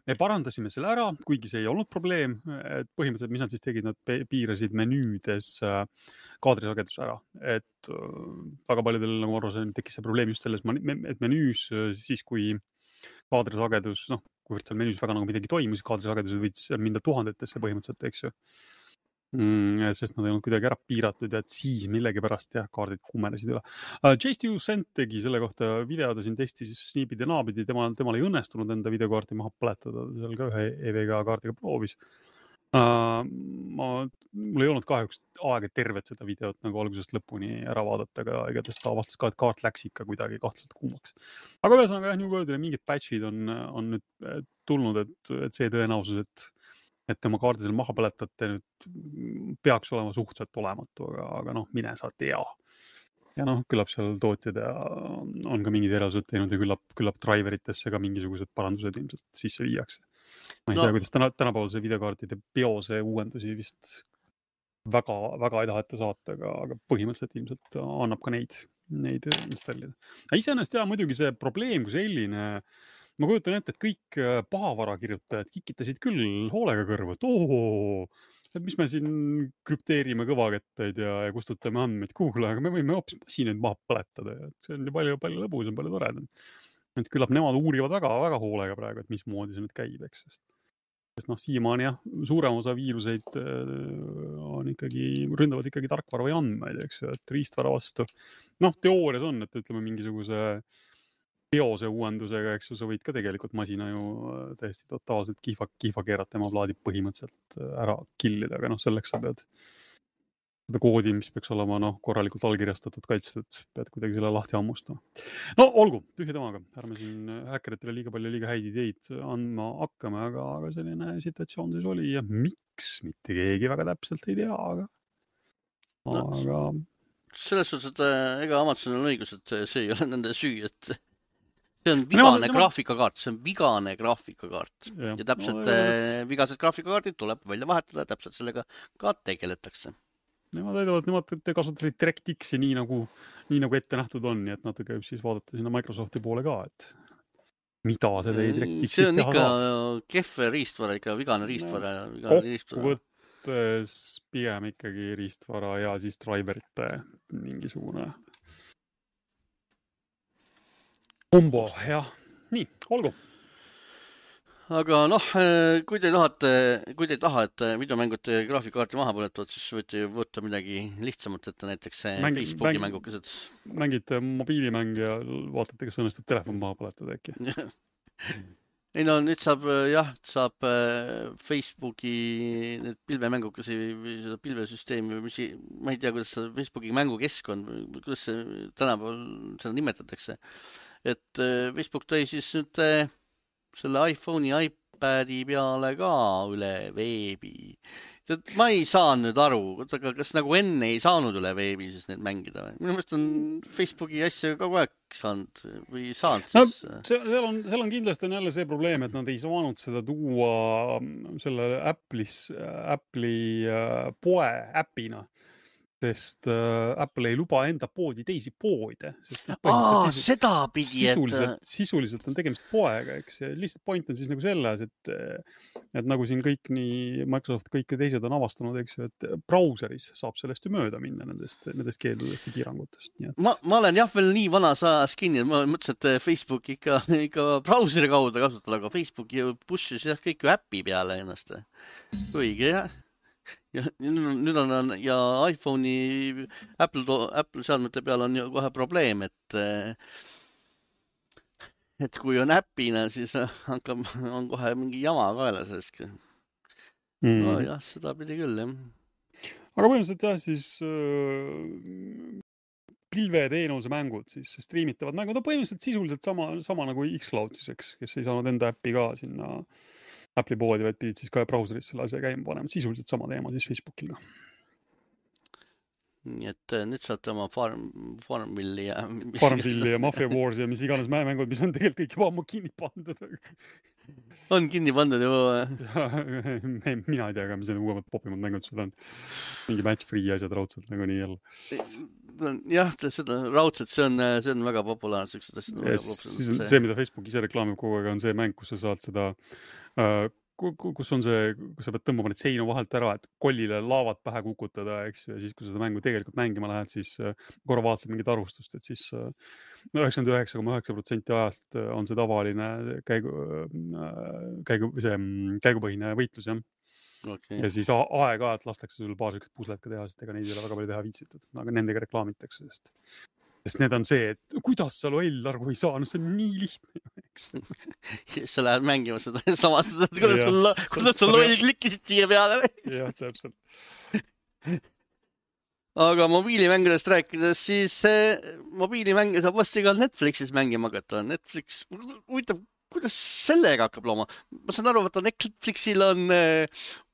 Me parandasime selle ära, kuigi see ei olnud probleem. Et põhimõtteliselt, mis nad siis tegid, nad piirasid menüüdes kaadrisagedus ära. Et väga paljudel, nagu arvasin, tekkis see probleem just selles, et menüüs siis, kui kaadrisagedus, kuivõrd seal menüüs väga nagu midagi toimus, kaadrisagedused võiks minna tuhandetesse põhimõtteliselt, eks ju. Sest nad ei olnud kuidagi ära piiratud ja et siis millegipärast kaardid kuumenesid üle. J.Stu Cent tegi selle kohta video, ta siin testis sniipid ja naabid ja temal ei õnnestunud enda videokaarti maha põletada, seal ka ühe EVGA kaardiga proovis. Mul ei olnud kahjuks aega tervet seda videot nagu algusest lõpuni ära vaadata, aga igatahes ta avastas ka, et kaart läks ikka kuidagi kahtlaselt kuumaks. Aga ühesõnaga New Worldile mingid patchid on nüüd tulnud, et see tõenäosus, et tema kaardi seal maha põletate nüüd peaks olema suhteliselt olematu, aga mine sa tea. Ja küllap seal tootjad on ka mingid erasused teinud ja küllap driveritesse ka mingisugused parandused ilmselt sisse viiakse. Ma ei tea, kuidas tänapäevase videokaartide biose uuendusi vist väga, väga ei taheta saata, aga põhimõtteliselt ilmselt annab ka neid installida. Iseenesest muidugi see probleem kui selline, ma kujutan ette, et kõik pahavarakirjutajad kikitasid küll hoolega kõrva, et mis me siin krüpteerime kõvakettaid ja kustutame andmeid, kuule, aga me võime hoopis masinaid maha põletada ja see on ju palju lõbusam, palju toredam. Et küllap nemad uurivad väga, väga hoolega praegu, et mismoodi see nüüd käib, eks. Sest siiamaani suurem osa viiruseid ründavad ikkagi tarkvara või andmeid, eks ju, et riistvara vastu. Teoorias on, et ütleme mingisuguse biose uuendusega, eks ju, sa võid ka tegelikult masina ju täiesti totaalselt kihva keerata, tema plaadib põhimõtteliselt ära killida, aga selleks sa pead seda koodi, mis peaks olema korralikult allkirjastatud, kaitstud, pead kuidagi selle lahti hammustama. Olgu, tühja temaga, ärme siin häkkeritele liiga häid ideid andma hakkame, aga selline situatsioon siis oli ja miks mitte keegi väga täpselt ei tea, aga selles suhtes, et ega Amazonil on õigus, et see ei ole nende süü, et see on vigane graafikakaart, ja täpselt vigased graafikakaardid tuleb välja vahetada, täpselt sellega ka tegeletakse. Nemad kasutasid DirectX-i nii nagu ette nähtud on, nii et natuke võib siis vaadata sinna Microsofti poole ka, et mida see direktiiv see siis on teha ikka saab? kehv riistvara, ikka vigane riistvara. Kokkuvõttes pigem ikkagi riistvara ja siis driverite mingisugune kombo, jah. Nii, olgu. Aga noh, kui te ei taha, et videomängud graafikakaarti maha põletavad, siis võite ju võtta midagi lihtsamat ette, näiteks Facebooki mängukesed. Mängite mobiilimäng ja vaatate, kas õnnestub telefon maha põletada äkki. Ei no nüüd saab Facebooki need pilvemängukesi või seda pilvesüsteemi või ma ei tea, kuidas Facebooki mängukeskkond, kuidas see tänapäeval seda nimetatakse. Et Facebook tõi siis nüüd selle iPhone'i, iPadi peale ka üle veebi. Ma ei saa nüüd aru, kas nagu enne ei saanud üle veebi siis need mängida või? Minu meelest on Facebooki asja kogu aeg saanud või saanud siis... No, seal on kindlasti on jälle see probleem, et nad ei saanud seda tuua selle Apple'i poe äpina. Sest Apple ei luba enda poodi teisi poode. Seda pidi, sisuliselt on tegemist poega, eks. Lihtsalt point on siis nagu selles, et nagu siin kõik nii Microsoft kõik teised on avastanud, eks, et brauseris saab sellest ju mööda minna nendest keeldudest ja piirangutest. Nii et... ma olen jah veel nii vana saas kinni, ma mõtlesin, et Facebook ikka brauseri kaudu kasutada, aga Facebook push'is jah kõik ju äppi peale ennast. Õige, jah. Ja nüüd on ja iPhone'i Apple seadmete peal on ju kohe probleem, et kui on äpina, siis on kohe mingi jama kaela sellest. No jah, seda pidi küll, jah. Aga põhimõtteliselt jah, siis pilveteenuse mängud, siis streamitavad mängud on põhimõtteliselt sisuliselt sama nagu Xcloud siis, eks, kes ei saanud enda äppi ka sinna Apple'i poodi, vaid pidid siis ka brauseris selle asja käima panema. Sisuliselt sama teema siis Facebookil ka. Nii et nüüd saate oma Farmville'i ja Mafia Wars ja mis iganes mängud, mis on tegelikult kõik juba ammu kinni pandud. On kinni pandud juba? Mina ei tea ka, mis need uuemad popimad mängud sul on. Mingi match-free asjad raudselt nagu nii jälle. Jah, seda raudselt, see on väga populaarne. See, mida Facebook ise reklaamib kogu aeg, on see mäng, kus sa saad seda, kus on see, kus sa pead tõmbama need seinu vahelt ära, et kollile laavad pähe kukutada, eks, ja siis, kui seda mängu tegelikult mängima lähed, siis korra vaatasid mingit arvustust, et siis 99,9% ajast on see tavaline käigupõhine võitlus, jah. Okay. Ja siis aeg-ajalt lastakse sul paar sükest puslet ka teha, sest ega neid ei ole väga palju teha viitsitud. Aga nendega reklaamitakse, sest need on see, et kuidas sa loll arvu ei saa, no see on nii lihtne, eks. Sa lähed mängima seda samast, kuidas sa loll klikkisid siia peale. Jah, täpselt. Aga mobiilimängudest rääkides, siis mobiilimänge saab vasti ka Netflixis mängima hakata. Netflix, huvitav, kuidas sellega hakkab looma? Ma saan aru, et Netflixil on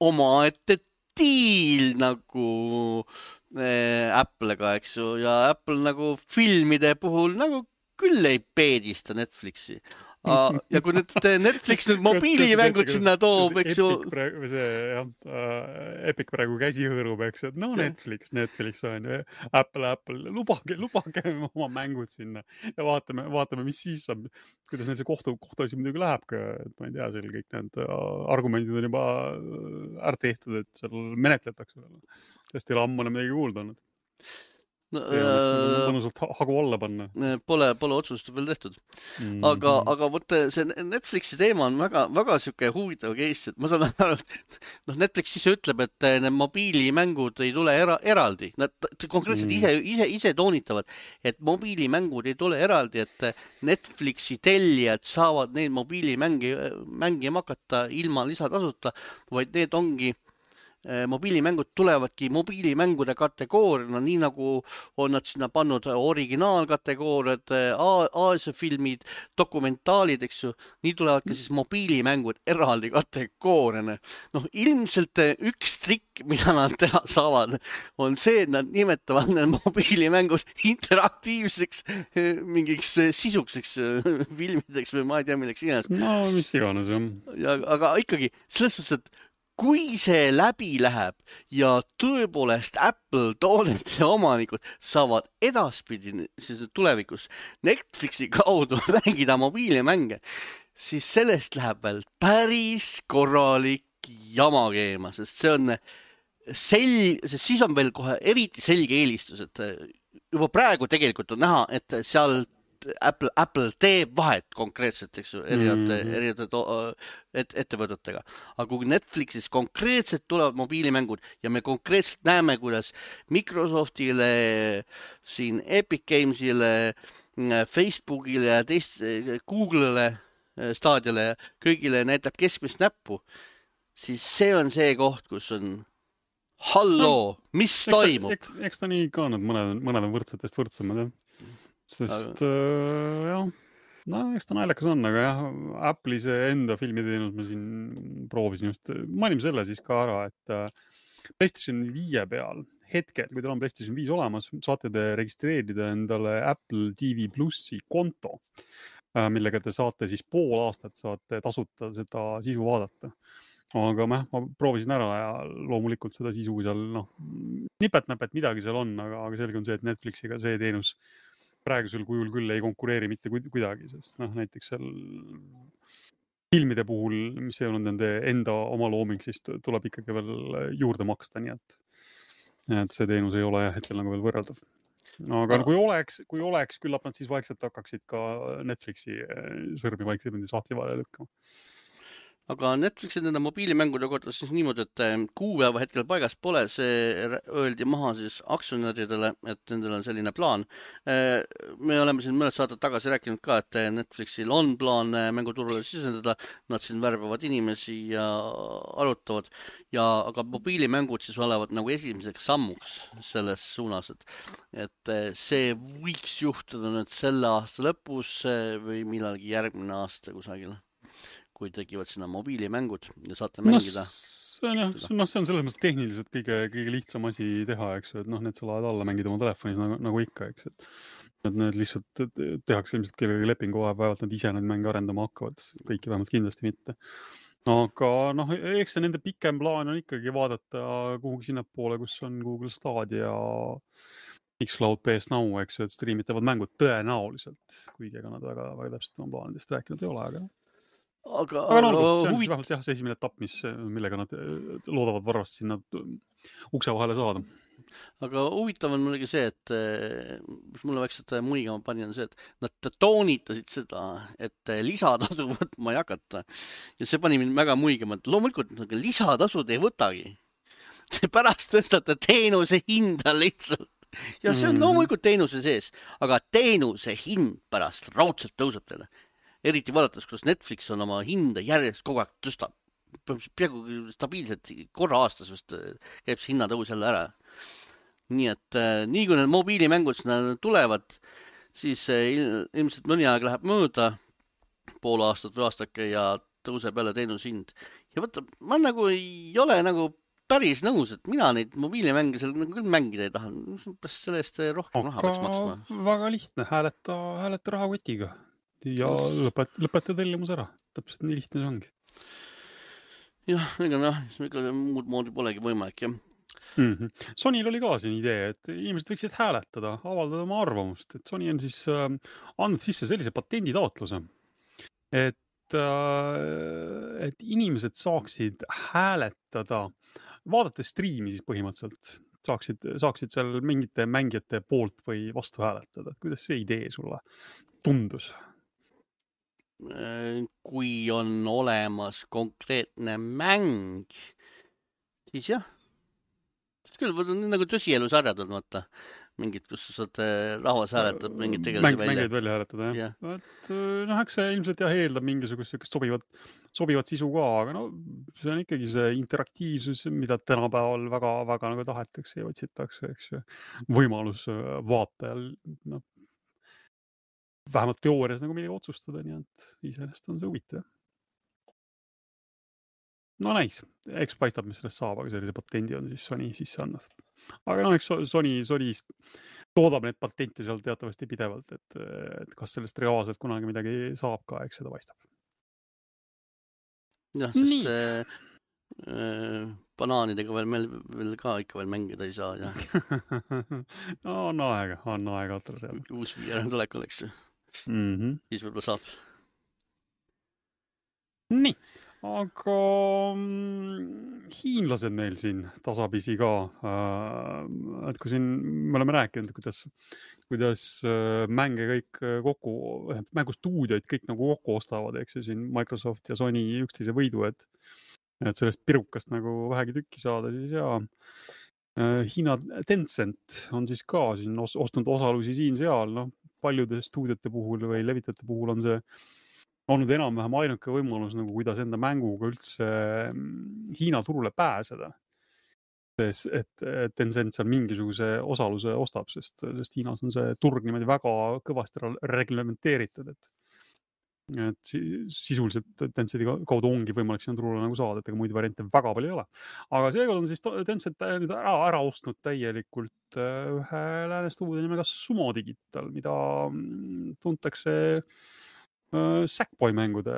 omaette diil nagu Apple'ga, eks ju, ja Apple nagu filmide puhul nagu küll ei peedista Netflixi. Ja kui nüüd Netflix nüüd mobiilimängud sinna toob, eks ju... Epic praegu käsi hõõrub, eks, et no Netflix on ju, Apple, lubage oma mängud sinna ja vaatame, mis siis saab, kuidas neil see kohtuasi muidugi läheb ka, et ma ei tea, seal kõik need argumendid on juba ära tehtud, et seal menetletakse. Sest ei ole ammu midagi kuulda olnud. Mõnusalt hagu alla panna. Pole otsust veel tehtud. Aga võtte, see Netflixi teema on väga siuke huvitav case, et ma saan aru, et Netflix ise ütleb, et need mobiilimängud ei tule eraldi. Nad konkreetselt ise toonitavad, et mobiilimängud ei tule eraldi, et Netflixi tellijad saavad neid mobiilimängima hakata ilma lisatasuta, vaid need ongi mobiilimängud tulevadki mobiilimängude kategooriana, nii nagu on nad sinna pannud originaalkategooriad, Aasia filmid, dokumentaalid, eks ju, nii tulevadki siis mobiilimängud eraldi kategooriana. Ilmselt üks trikk, mida nad teha saavad, on see, et nad nimetavad need mobiilimängud interaktiivseks mingiks sisukseks filmideks või ma ei tea, milleks iganes. No, mis iganes, jah. Aga ikkagi, selles suhtes, et kui see läbi läheb ja tõepoolest Apple toodete omanikud saavad edaspidi siis tulevikus Netflixi kaudu mängida mobiilimänge, siis sellest läheb veel päris korralik jama keema, sest see on sest siis on veel kohe eriti selge eelistus, et juba praegu tegelikult on näha, et seal Apple teeb vahet konkreetselt, eks ju, erinevate ettevõtetega. Aga kui Netflixis konkreetselt tulevad mobiilimängud ja me konkreetselt näeme, kuidas Microsoftile, siin Epic Gamesile, Facebookile ja Google'ile, Stadiale ja kõigile näitab keskmist näppu, siis see on see koht, kus on halloo, mis toimub? Eks ta nii ka need mõned on võrdsetest võrdsemad, jah. Sest jah, no eks ta naljakas on, aga jah, Apple'i see enda filmiteenus ma siin proovisin just, mainime selle siis ka ära, et PlayStation 5 peal hetkel, kui teil on PlayStation 5 olemas, saate te registreerida endale Apple TV Plussi konto, millega te saate siis pool aastat saate tasuta seda sisu vaadata. Aga ma proovisin ära ja loomulikult seda sisu seal, nipet-näpet midagi seal on, aga selge on see, et Netflixiga see teenus praegusel kujul küll ei konkureeri mitte kuidagi, sest näiteks seal filmide puhul, mis ei olnud nende enda oma looming, siis tuleb ikkagi veel juurde maksta, nii et see teenus ei ole hetkel nagu veel võrreldav. Aga kui oleks, küllap nad siis vaikselt hakkaksid ka Netflixi sõrmi vaikselt sahtli vahele lükkama. Aga Netflixi nende mobiilimängude kohta siis niimoodi, et kuupäeva hetkel paigas pole, see öeldi maha siis aktsionäridele, et nendel on selline plaan. Me oleme siin mõned saated tagasi rääkinud ka, et Netflixil on plaan mänguturule siseneda, nad siin värbavad inimesi ja arutavad, aga mobiilimängud siis olevat nagu esimeseks sammuks selles suunas, et see võiks juhtuda nüüd selle aasta lõpus või millalgi järgmine aasta kusagil, kui tegivad sinna mobiilimängud ja saate mängida. See on selles mõttes tehniliselt kõige lihtsam asi teha, eks ju, et need sa laed alla mängida oma telefonis nagu ikka, eks, et need lihtsalt tehakse ilmselt kellegi lepingu vaevalt nad ise need mänge arendama hakkavad, kõiki vähemalt kindlasti mitte. Aga eks see nende pikem plaan on ikkagi vaadata kuhugi sinnapoole, kus on Google Stadia ja Xcloud PS Now, eks ju, et streamitavad mängud tõenäoliselt, kuigi ega nad väga täpselt oma plaanidest rääkinud ei ole, aga see on siis vähemalt see esimene etapp, millega nad loodavad varvast sinna ukse vahele saada. Aga huvitav on muidugi see, et mis mulle vaikselt muigama pani, on see, et nad toonitasid seda, et lisatasu võtma ei hakata. Ja see pani mind väga muigama, et loomulikult lisatasud ei võtagi. Pärast tõstate teenuse hinda lihtsalt. Ja see on loomulikult teenuse sees, aga teenuse hind pärast raudselt tõuseb teile. Eriti vaadates, kuidas Netflix on oma hinda järjest kogu aeg tõstab. Peaaegu stabiilselt korra aastas vist käib see hinnatõus jälle ära. Nii et nii kui need mobiilimängud sinna tulevad, siis ilmselt mõni aeg läheb mööda, pool aastat või aastake ja tõuseb jälle teenuse hind. Ja võtta, ma nagu ei ole nagu päris nõus, et mina neid mobiilimänge seal küll mängida ei taha. Selle eest rohkem raha peaks maksma. Väga lihtne, hääleta rahakotiga. Ja lõpeta tellimus ära. Täpselt nii lihtne see ongi. Jah, ega muud moodi polegi võimalik, jah. Sonyl oli ka siin idee, et inimesed võiksid hääletada, avaldada oma arvamust, et Sony on siis andnud sisse sellise patenditaotluse, et inimesed saaksid hääletada, vaadates striimi siis põhimõtteliselt, saaksid seal mingite mängijate poolt või vastu hääletada. Kuidas see idee sulle tundus? Kui on olemas konkreetne mäng, siis jah. Küll nagu tõsielusarjad on, vaata. Mingid, kus sa saad rahvas hääletab mingid tegelasi välja. Mängeid välja hääletada, jah. Et, eks see ilmselt eeldab mingisugust sobivat sisu ka, aga see on ikkagi see interaktiivsus, mida tänapäeval väga nagu tahetakse ja otsitakse, eks ju. Võimalus vaatajal vähemalt teoorias nagu midagi otsustada, nii et iseenesest on see huvitav. Näis, eks paistab, mis sellest saab, aga sellise patendi on siis Sony sisse andnud. Aga eks Sony toodab need patente seal teatavasti pidevalt, et kas sellest reaalselt kunagi midagi saab ka, eks seda paistab. Jah, sest banaanidega veel ka ikka veel mängida ei saa, jah. On aega otra seal. Uus VR tulek oleks. Siis võib-olla saab. Nii, aga hiinlased meil siin tasapisi ka, et kui siin me oleme rääkinud, kuidas mänge kõik kokku, mängustuudioid kõik nagu kokku ostavad, eks ju, siin Microsoft ja Sony üksteise võidu, et sellest pirukast nagu vähegi tükki saada, siis jaa. Hiina Tencent on siis ka siin ostnud osalusi siin-seal, noh, paljude stuudiote puhul või levitajate puhul on see olnud enam-vähem ainuke võimalus, nagu kuidas enda mänguga üldse Hiina turule pääseda. Et Tencent seal mingisuguse osaluse ostab, sest Hiinas on see turg niimoodi väga kõvasti reglementeeritud, et sisuliselt Tencenti kaudu ongi võimalik sinna turule nagu saada, et ega muid variante väga palju ei ole. Aga seekord on siis Tencent nüüd ära ostnud täielikult ühe lääne stuudio nimega Sumo Digital, mida tuntakse Sackboy mängude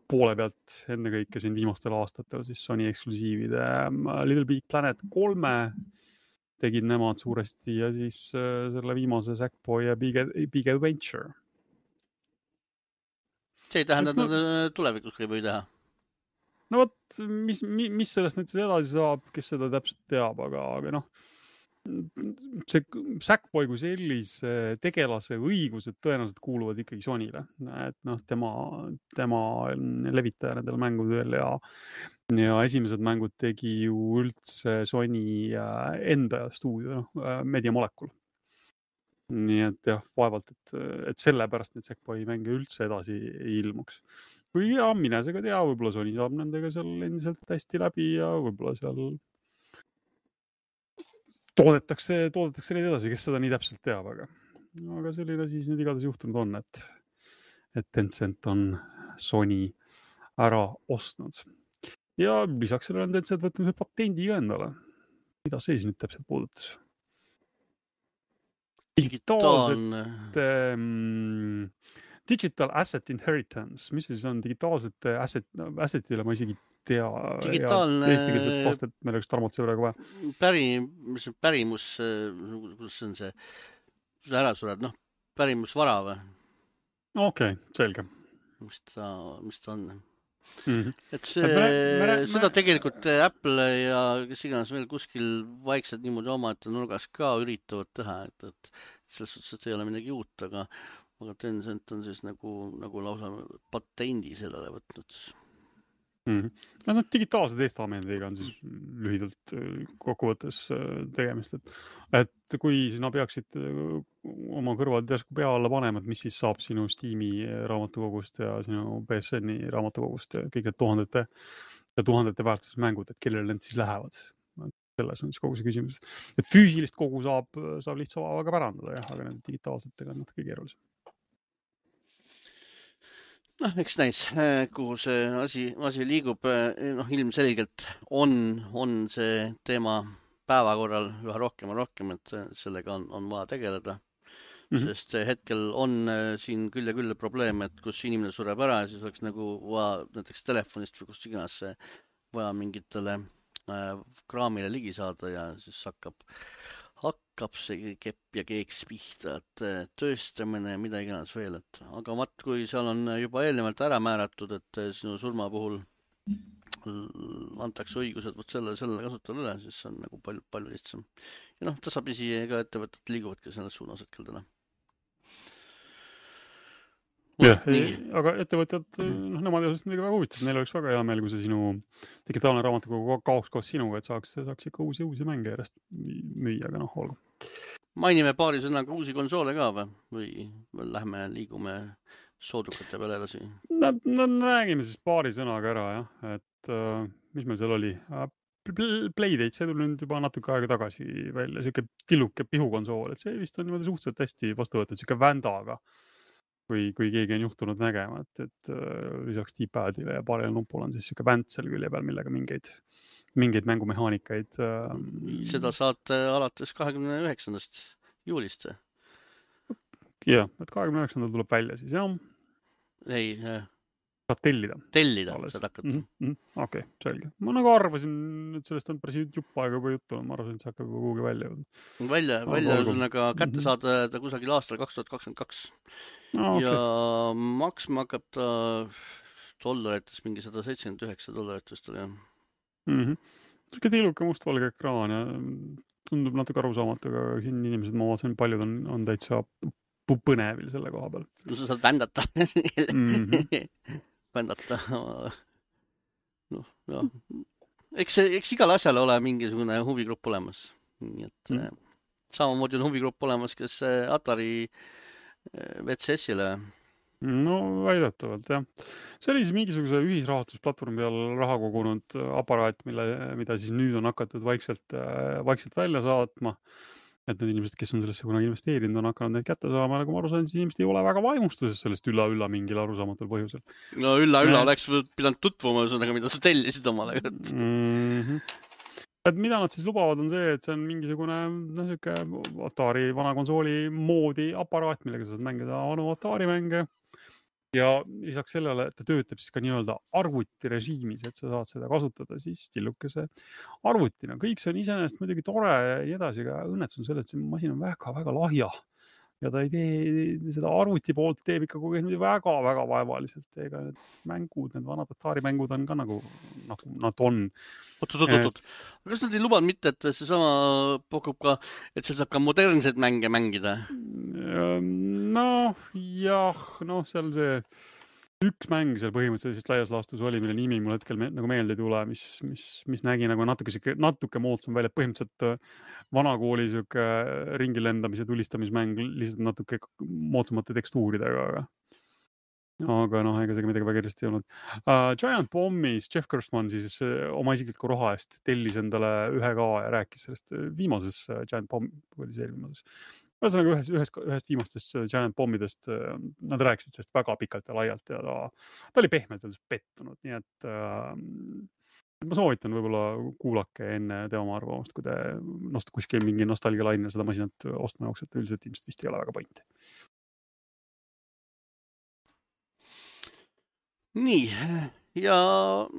poole pealt ennekõike siin viimastel aastatel siis Sony eksklusiivide Little Big Planet 3 tegid nemad suuresti ja siis selle viimase Sackboy ja Big Adventure. See ei tähenda, et tulevikus ei või teha. No vot, mis sellest nüüd edasi saab, kes seda täpselt teab, aga noh, see Sackboy kui sellise tegelase õigused tõenäoliselt kuuluvad ikkagi Sonyle, et noh, tema levitaja nendel mängudel ja esimesed mängud tegi ju üldse Sony enda stuudio, Media Molecule. Nii et jah, vaevalt, et sellepärast nüüd Sackboy mänge üldse edasi ei ilmuks. Kui mine see ka tea, võib-olla Sony saab nendega seal endiselt hästi läbi ja võib-olla seal toodetakse neid edasi, kes seda nii täpselt teab, aga selline siis nüüd igatahes juhtunud on, et Tencent on Sony ära ostnud. Ja lisaks sellele on Tencent võtnud patendi ka endale. Mida see siis nüüd täpselt puudutas? Digital Asset Inheritance, mis siis on digitaalsete assetile, ma isegi tea. Digitaalne eestikeelset vastet meil oleks Tarmot see praegu vaja. Pärimus, kuidas see on see ära sured, noh, pärimusvara või? Okei, selge. Mis ta on? Et seda tegelikult Apple ja kes iganes veel kuskil vaikselt niimoodi omaette nurgas ka üritavad teha, et selles suhtes, et ei ole midagi uut, aga Tencent on siis nagu lausa patendi sellele võtnud. No digitaalse testamendiga on siis lühidalt kokkuvõttes tegemist, et kui sina peaksid oma kõrvad järsku pea alla panema, et mis siis saab sinu Steam'i raamatukogust ja sinu PSN-i raamatukogust ja kõik need tuhandete väärtuses mängud, et kellele need siis lähevad. Selles on siis kogu see küsimus. Et füüsilist kogu saab lihtsa vaevaga pärandada, jah, aga need digitaalsetega on natuke keerulisem. Noh, eks näis, kuhu see asi liigub. Noh, ilmselgelt on see teema päevakorral üha rohkem ja rohkem, et sellega on vaja tegeleda. Sest hetkel on siin küll ja küll probleem, et kus inimene sureb ära ja siis oleks nagu vaja näiteks telefonist või kust iganes vaja mingitele kraamile ligi saada ja siis hakkab see kepp ja keeks pihta, et tööstamine ja mida iganes veel, aga kui seal on juba eelnevalt ära määratud, et sinu surma puhul antakse õigused selle kasutajale üle, siis see on nagu palju lihtsam. Ja noh, tasapisi ka ettevõtted liiguvadki selles suunas hetkel täna. Jah, aga ettevõtjad, nemad ei ole midagi väga huvitatud, neil oleks väga hea meel, kui see sinu digitaalne raamatukogu kaoks koos sinuga, et saaks ikka uusi mänge järjest müüa, aga noh, olgu. Mainime paari sõnaga uusi konsoole ka või liigume soodukate peale edasi? No räägime siis paari sõnaga ära, jah, et mis meil seal oli? Playdate, see tuli nüüd juba natuke aega tagasi välja, siuke tilluke pihukonsool, et see vist on niimoodi suhteliselt hästi vastu võetud, siuke vändaga. Kui keegi on juhtunud nägema, et lisaks D-padile ja paarile nupul on siis siuke vänt seal külje peal, millega mingeid mängumehaanikaid. Seda saate alates 29. juulist. Jah, et 29. tuleb välja siis, jah. Ei, saad tellida, saad hakata. Okei, selge. Ma nagu arvasin, et sellest on päris jupp aega juba juttu, ma arvasin, et see hakkab juba kuhugi välja jõudma. Välja ühesõnaga kätte saada ta kusagil aastal 2022. Ja maksma hakkab ta dollarites, mingi $179 tuli. Siuke tiluke mustvalge ekraan ja tundub natuke arusaamatu, aga siin inimesed, ma vaatasin, paljud on täitsa põnevil selle koha peal. No sa saad vändata. Vändata. Noh, jah. Eks igal asjal ole mingisugune huvigrupp olemas. Nii et samamoodi on huvigrupp olemas, kes Atari VCS-ile. No väidetavalt, jah. See oli siis mingisuguse ühisrahastusplatvormi peal raha kogunud aparaat, mida siis nüüd on hakatud vaikselt välja saatma. Et need inimesed, kes on sellesse kunagi investeerinud, on hakanud neid kätte saama, nagu ma aru sain, siis inimesed ei ole väga vaimustuses sellest ülla mingil arusaamatul põhjusel. No ülla oleks pidanud tutvuma, mida sa tellisid omale. Et mida nad siis lubavad on see, et see on mingisugune Atari vana konsooli moodi aparaat, millega sa saad mängida vanu Atari mänge. Ja lisaks sellele, et ta töötab siis ka nii-öelda arvutirežiimis, et sa saad seda kasutada siis tillukese arvutina. Kõik see on iseenesest muidugi tore ja nii edasi, aga õnnetus on selle, et see masin on väga lahja. Ja ta ei tee seda arvuti poolt, teeb ikka kogu aeg väga vaevaliselt. Ega need mängud, need vanad Atari mängud on ka nagu nad on. Oot. Kas nad ei lubanud mitte, et see sama pakub ka, et see saab ka modernseid mänge mängida? No, jah, seal see üks mäng seal põhimõtteliselt laias laastus oli, mille nimi mul hetkel nagu meelde ei tule, mis nägi nagu natuke moodsam välja. Põhimõtteliselt vanakooli ringi lendamise tulistamismäng lihtsalt natuke moodsamate tekstuuridega. Aga ega see midagi väga kiiresti ei olnud. Giant Bombis Jeff Gerstmann siis oma isikliku raha eest tellis endale 1K ja rääkis sellest viimases Giant Bomb oli see viimases. Ühesõnaga ühest viimastest Giant Bombidest nad rääkisid sellest väga pikalt ja laialt ja ta oli pehmelt pettunud, nii et ma soovitan võib-olla kuulake enne tema arvamust, kui te kuskil mingi nostalgialainel seda masinat ostma jooksete, üldiselt ilmselt vist ei ole väga pointi. Nii, ja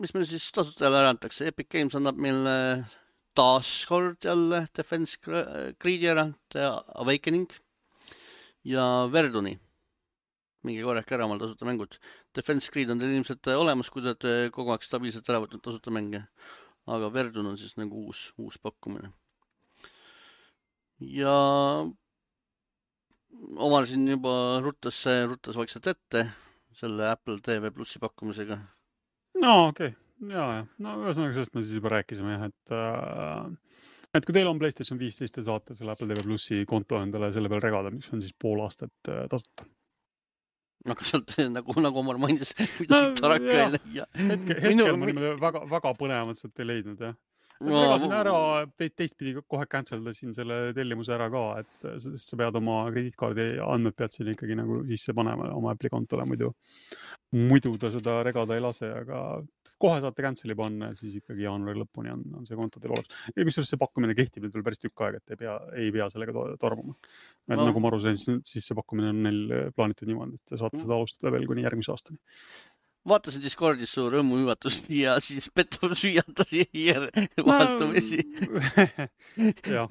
mis meil siis tasutajale ära antakse? Epic Games annab meile taas kord jälle Defense Greedi ära, The Awakening ja Verduni. Mingi korrake ära omal tasuta mängud. Defense Greed on teil ilmselt olemas, kui te kogu aeg stabiilselt ära võtnud tasuta mänge. Aga Verdun on siis nagu uus pakkumine. Ja omal siin juba ruttas vaikselt ette selle Apple TV Plussi pakkumisega. No okei. Ja. No ühesõnaga sellest me siis juba rääkisime, et kui teil on PlayStation 15 ja saate selle Apple TV Plussi konto endale selle peal regada, mis on siis pool aastat tasuta. Aga sealt nagu Omar mainis, midagi taraka ei leia. Hetkel ma niimoodi väga põnevat sealt ei leidnud, jah. Regasin ära, teistpidi kohe canceldasin selle tellimuse ära ka, et sa pead oma krediitkaardi andmed pead siin ikkagi nagu sisse panema oma Apple'i kontole, muidu ta seda regada ei lase, aga kohe saate cancel'i panna ja siis ikkagi jaanuari lõpuni on see konto teil olemas. Ja kusjuures see pakkumine kehtib veel päris tükk aega, et ei pea sellega tormuma. Nagu ma aru sain, siis see pakkumine on neil plaanitud niimoodi, et te saate seda alustada veel kuni järgmise aastani. Vaatasin Discordis su rõõmuhüvatust ja siis pettus hüiatas vahetumisi.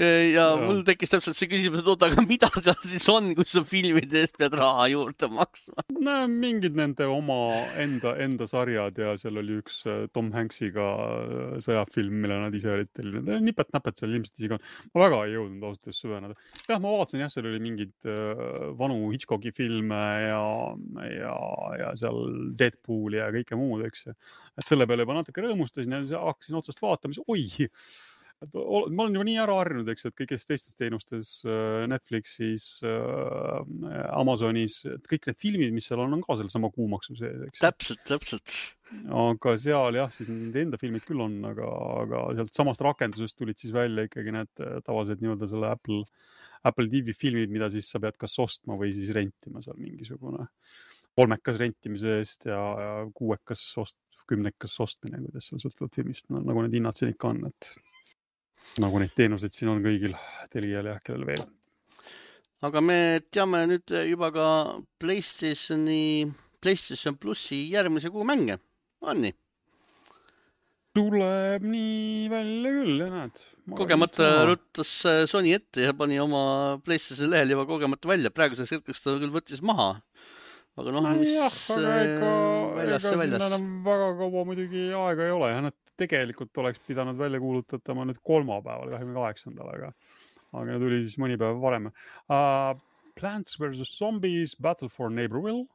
Ja mul tekkis täpselt see küsimus, et aga mida seal siis on, kus sa filmide eest pead raha juurde maksma? No mingid nende oma enda sarjad ja seal oli üks Tom Hanksiga sõjafilm, mille nad ise olid tellinud. Nipet-näpet seal ilmselt isegi on. Ma väga ei jõudnud ausalt süveneda. Jah, ma vaatasin, seal oli mingid vanu Hitchcocki filme ja seal Deadpool ja kõike muud, eks. Et selle peale juba natuke rõõmustasin ja hakkasin otsast vaatama, ma olen juba nii ära harjunud, eks, et kõigis teistes teenustes, Netflixis, Amazonis, et kõik need filmid, mis seal on ka selle sama kuumaksu sees, eks. Täpselt. Aga seal jah, siis nende enda filmid küll on, aga sealt samast rakendusest tulid siis välja ikkagi need tavalised nii-öelda selle Apple TV filmid, mida siis sa pead kas ostma või siis rentima seal mingisugune 3-kas rentimise eest ja 6-kas 10-kas ostmine, kuidas on sõltuvad filmist, nagu need hinnad siin ikka on, et nagu neid teenuseid siin on kõigil Telial ja kellel veel. Aga me teame nüüd juba ka PlayStation Plussi järgmise kuu mänge, on nii? Tuleb nii välja küll, ja näed. Kogemata ruttas Sony ette ja pani oma PlayStation lehel juba kogemata välja. Praeguseks hetkeks ta küll võttis maha. aga noh, mis väljas see väljas. Enam väga kaua muidugi aega ei ole ja nad tegelikult oleks pidanud välja kuulutatama nüüd kolmapäeval 28. aga tuli siis mõni päev varem. Plants vs. Zombies, Battle for Neighborville,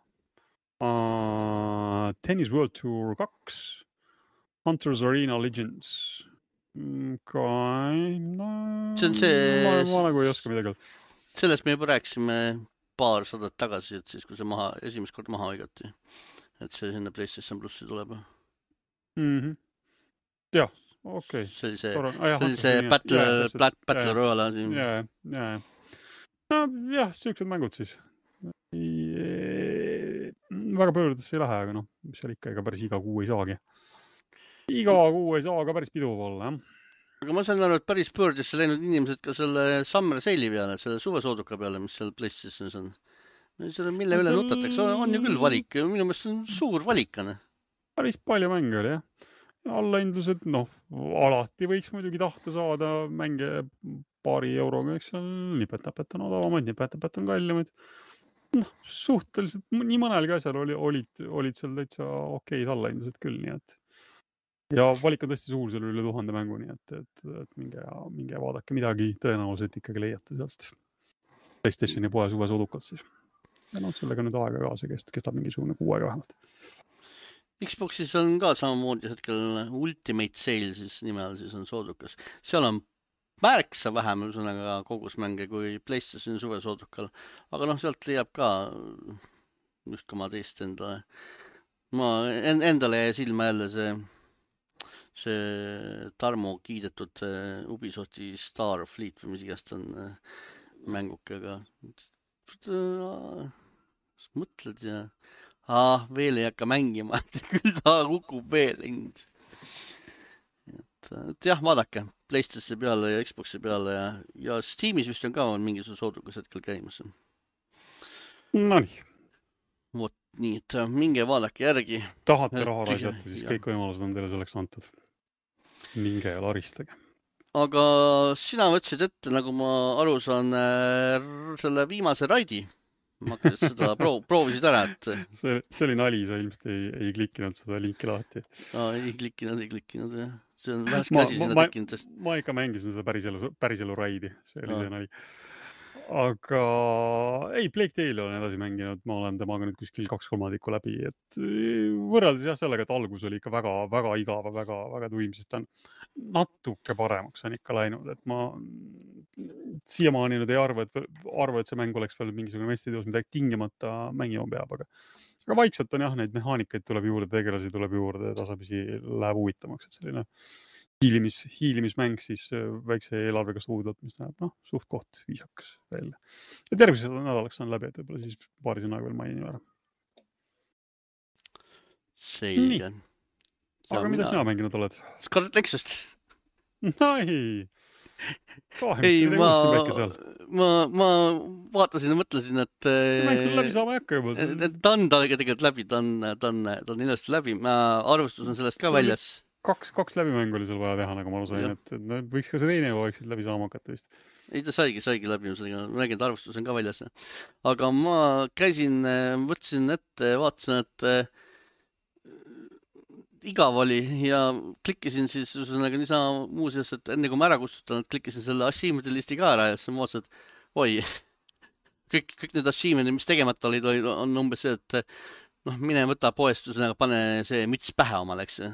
Tennis World Tour 2, Hunters Arena Legends. See on see... Ma nagu ei oska midagi. Sellest me juba rääkisime paar sadat tagasi, et siis kui see esimest kord maha õigati. Et see sinna PlayStation Plussi tuleb. Jah, okei. See oli see Battle Royale siin. Jah, siuksed mängud siis. Väga pöördesse ei lähe, aga noh, seal ikka ega päris iga kuu ei saagi. Iga kuu ei saa ka päris piduv olla, jah. Aga ma saan aru, et päris pöördesse läinud inimesed ka selle Summer Sale'i peale, selle suvesooduka peale, mis seal PlayStationis on. Mille üle nutatakse, on ju küll valik. Minu meelest on suur valikane. Päris palju mänge oli, jah. Allahindlused, noh, alati võiks muidugi tahta saada mänge paari euroga, eks seal nipet-näpet on odavamaid, nipet-näpet on kallimaid. Noh, suhteliselt nii mõnelgi asjal olid seal täitsa okeid allahindlused küll, nii et ja valik on tõesti suur, selle üle 1000 mängu, nii et minge vaadake midagi, tõenäoliselt ikkagi leiate sealt PlayStationi poe suve soodukalt siis. Ja noh, sellega nüüd aega ka, see kestab mingisugune 6 aega vähemalt. Xboxis on ka samamoodi hetkel Ultimate Sale siis nimel siis on soodukas. Seal on märksa vähem üsõnaga kogusmänge kui PlayStationi suve soodukal. Aga noh, sealt leiab ka just ka ma teist endale. Endale jäi silma jälle see Tarmo kiidetud Ubisofti Starfleet või mis igast on mängukega. Mõtled ja veel ei hakka mängima, küll ta kukub veel hind. Et jah, vaadake PlayStation peale ja Xboxi peale ja Steamis vist on ka mingisugune soodukas hetkel käimas. Nonii. Vot nii, et minge vaadake järgi. Tahate raha raisata, siis kõik võimalused on teile selleks antud. Minge ja laristage. Aga sina võtsid ette, nagu ma aru saan, selle viimase raidi. Ma seda proovisid ära, et... See oli nali, sa ilmselt ei klikkinud seda linki lahti. Ei klikkinud, jah. See on vähest käsi sinna tekkinud. Ma ikka mängisin seda päriselu raidi. See oli see nali. Aga ei, Plague Tale olen edasi mänginud, ma olen temaga nüüd kuskil 2/3 läbi, et võrreldes jah sellega, et algus oli ikka väga igava, väga tuim, sest ta on natuke paremaks on ikka läinud, et ma siiamaani nüüd ei arva, et see mäng oleks veel mingisugune mestitöös, mida tingimata mängima peab, aga vaikselt on jah, neid mehaanikaid tuleb juurde, tegelasi tuleb juurde, tasapisi läheb huvitavaks, et selline hiilimismäng siis väikse eelarvega stuudiot, mis näeb suht koht viisakas välja. Ja tervised nädalaks on läbi, et võib-olla siis paari sõnaga veel mainin ära. Selge. Aga mida sina mänginud oled? Scarlet Nexust. Ei, ma vaatasin ja mõtlesin, et mäng küll läbi saama ei hakka juba. Ta on tegelikult läbi, ta on ilusti läbi. Arvustus on sellest ka väljas. Kaks läbimängu oli seal vaja teha, nagu ma sain, et võiks ka see teine vaikselt läbi saama hakata vist. Ei, ta saigi läbi, ma räägin, et arvustus on ka väljas. Aga ma käisin, võtsin ette, vaatasin, et igav oli ja klikkisin siis niisama muuseas, et enne kui ma ära kustutan, klikkisin selle achievementi listi ka ära ja siis ma vaatasin, et oi, kõik need achievementid, mis tegemata olid, on umbes see, et mine võta poest, pane see müts pähe omal, eks.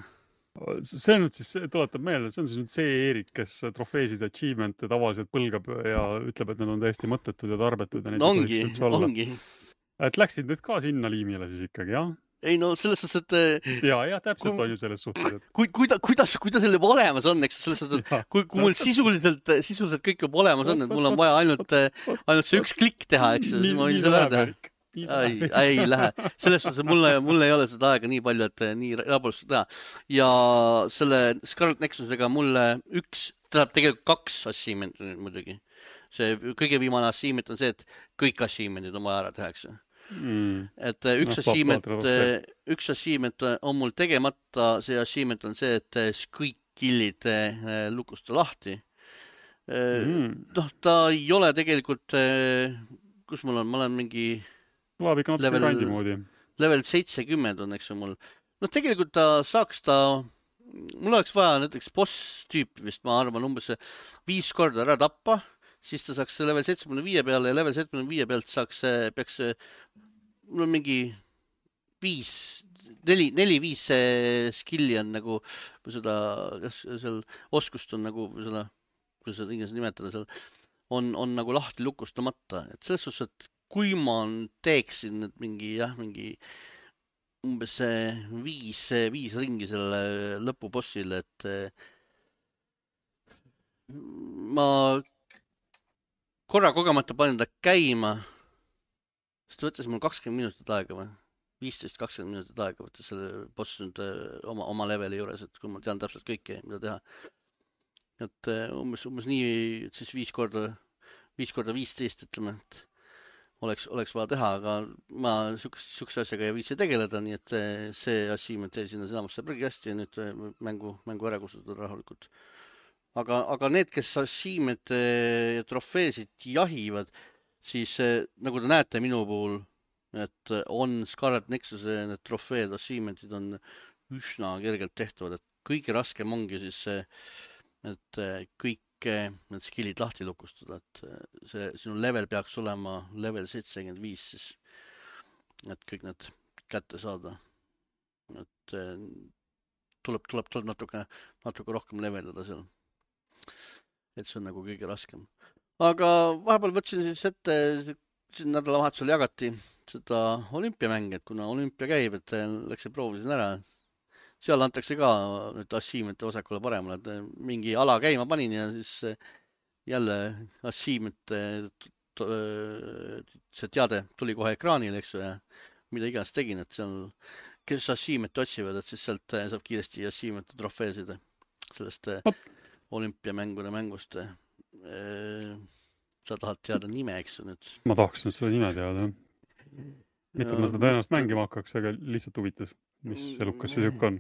See nüüd siis tuletab meelde, et see on siis nüüd see Eerik, kes trofeesid achievemente tavaliselt põlgab ja ütleb, et need on täiesti mõttetud ja tarbetud. Ja ongi. Et läksid nüüd ka sinna liimile siis ikkagi, jah? Ei no selles suhtes, et... Ja, täpselt on ju selles suhtes. Kuidas selle olemas on, eks selles suhtes, et kui mul sisuliselt kõik juba olemas on, et mul on vaja ainult see üks klikk teha, eks, siis ma võin selle ära teha. Ei lähe. Selles suhtes, et mul ei ole seda aega nii palju, et nii raportust teha. Ja selle Scarlet Nexusega mulle tegelikult 2 achievementit muidugi. See kõige viimane achievement on see, et kõik achievementid on vaja ära tehakse. Et üks achievement on mul tegemata, see achievement on see, et kõik killid lukusta lahti. Ta ei ole tegelikult, kus ma olen mingi Kõlab ikka natuke level, kandi moodi. level 70 on, eks ju mul. No tegelikult mul oleks vaja näiteks boss-tüüpi vist, ma arvan, umbes 5 korda ära tappa, siis ta saaks level 75 peale ja level 75 pealt peaks mul on mingi 4-5 skill'i on nagu, või seda, kas seal oskust on nagu, või seda, kuidas seda inglased nimetada seal, on nagu lahti lukustamata, et selles suhtes, et kui ma teeksin nüüd mingi umbes 5 ringi selle lõpubossile, et ma korra kogemata panin ta käima, siis ta võttis mul 20 minutit aega või 15-20 minutit aega võttis selle boss nüüd oma leveli juures, et kui ma tean täpselt kõike, mida teha. Et umbes nii, et siis 5 korda 15, ütleme, et oleks vaja teha, aga ma sihukese asjaga ei viitsi tegeleda, nii et see achievement jäi sinna enamusse prügikasti ja nüüd mängu ära kustutada rahulikult. Aga need, kes achievement ja trofeesid jahivad, siis nagu te näete minu puhul, et on Scarlet Nexuse need trofeed, achievementid on üsna kergelt tehtavad, et kõige raskem ongi siis see, et kõik need skillid lahti lukustada, et sinu level peaks olema level 75 siis, et kõik need kätte saada. Et tuleb natuke rohkem leveleda seal. Et see on nagu kõige raskem. Aga vahepeal võtsin siis ette, nädalavahetusel jagati seda olümpiamänge, et kuna olümpia käib, et läksin proovisin ära. Seal antakse ka nüüd achievement'e vasakule paremale, et mingi ala käima panin ja siis jälle achievement'e see teade tuli kohe ekraanile, eks ju, ja mida iganes tegin, et seal, kes achievement'e otsivad, et siis sealt saab kiiresti achievement'e trofeesid sellest olümpiamängude mängust. Sa tahad teada nime, eks ju nüüd? Ma tahaksin seda nime teada. Mitte, et ma seda tõenäoliselt mängima hakkaks, aga lihtsalt huvitas. Mis elukas see siuke on?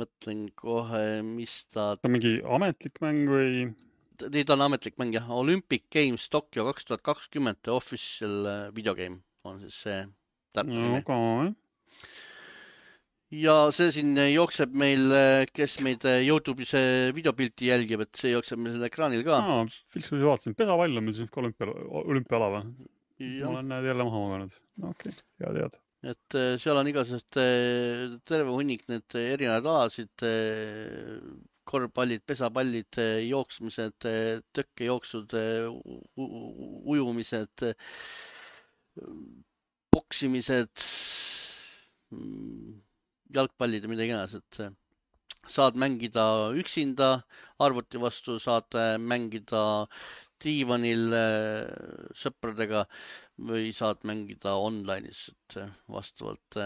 Mõtlen kohe, mis ta... Ta on mingi ametlik mäng või? Ta on ametlik mäng, jah. Olympic Games Tokyo 2020 official videogame on siis see täpne nime. Okay. Ja see siin jookseb meil, kes meid YouTube'is videopilti jälgib, et see jookseb meil selle ekraanil ka. Filksusi vaatasin. Pesapall on meil siin olümpiala või? Ma olen näed jälle maha maganud. Okei, hea teada. Et seal on igasugused terve hunnik need erinevad alasid, korvpallid, pesapallid, jooksmised, tõkkejooksud, ujumised, boksimised, jalgpallid ja mida iganes, et saad mängida üksinda arvuti vastu, saad mängida diivanil sõpradega või saad mängida online'is, et vastavalt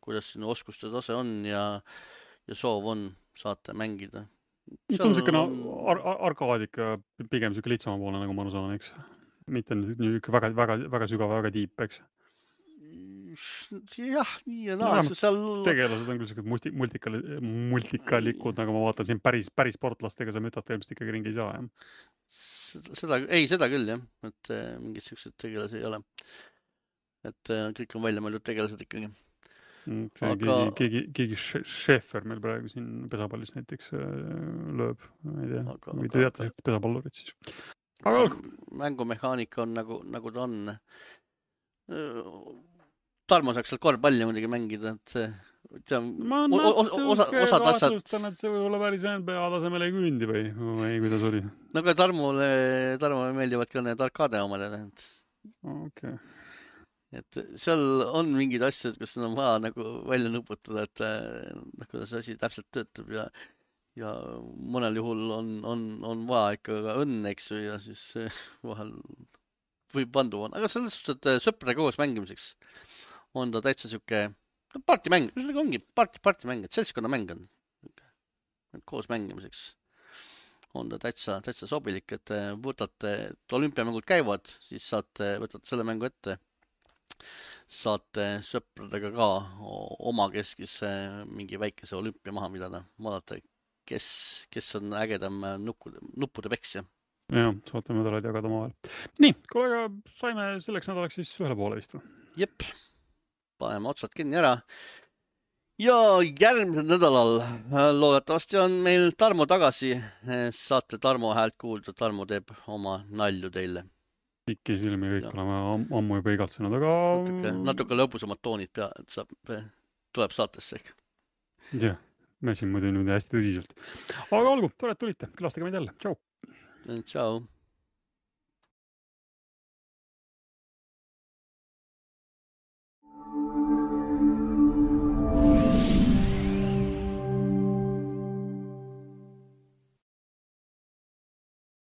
kuidas sinu oskuste tase on ja soov on, saate mängida. See on siukene arkaadika, pigem siuke lihtsama poole, nagu ma aru saan, eks? Mitte väga sügav, väga tiip, eks? Jah, nii ja naa. Tegelased on küll siuksed multikalikud, nagu ma vaatan siin päris sportlastega sa mütad ilmselt ikkagi ringi ei saa, jah? Seda küll, jah. Et mingid siuksed tegelasi ei ole. Et kõik on välja mõeldud tegelased ikkagi. Keegi Schäfer meil praegu siin pesapallis näiteks lööb. Ma ei tea, või te teate pesapallurid siis. Mängumehaanika on nagu ta on. Tarmo saaks seal korvpalli muidugi mängida, et ma natuke kahtlustan, et see võib olla päris NBA tasemel ei küündi või kuidas oli? No ka Tarmole meeldivad ka need arkaade omad. Okay. Et seal on mingid asjad, kus on vaja nagu välja nuputada, et kuidas asi täpselt töötab ja mõnel juhul on vaja ikka ka õnne, eks ju, ja siis vahel võib vandu on. Aga selles suhtes, et sõpradega koos mängimiseks on ta täitsa siuke partimäng, ongi partimäng, et seltskonnamäng on. Koos mängimiseks on ta täitsa sobilik, et võtate, et olümpiamängud käivad, siis võtate selle mängu ette, saate sõpradega ka omakeskis mingi väikese olümpia maha pidada, vaadata, kes on ägedam nuppude peksja. Jah, saate medaleid jagada omavahel. Nii, kollega saime selleks nädalaks siis ühele poole vist. Jep, paneme otsad kinni ära. Ja järgmisel nädalal loodetavasti on meil Tarmo tagasi. Saate Tarmo häält kuulda. Tarmo teeb oma nalju teile. Pikki silmi kõik oleme ammu juba igatsenud, aga... Natuke lõbusamad toonid tuleb saatesse ehk. Jah, me siin muidu hästi tõsiselt. Aga olgu, tore, et tulite. Külastage meid jälle. Tšau! Tšau!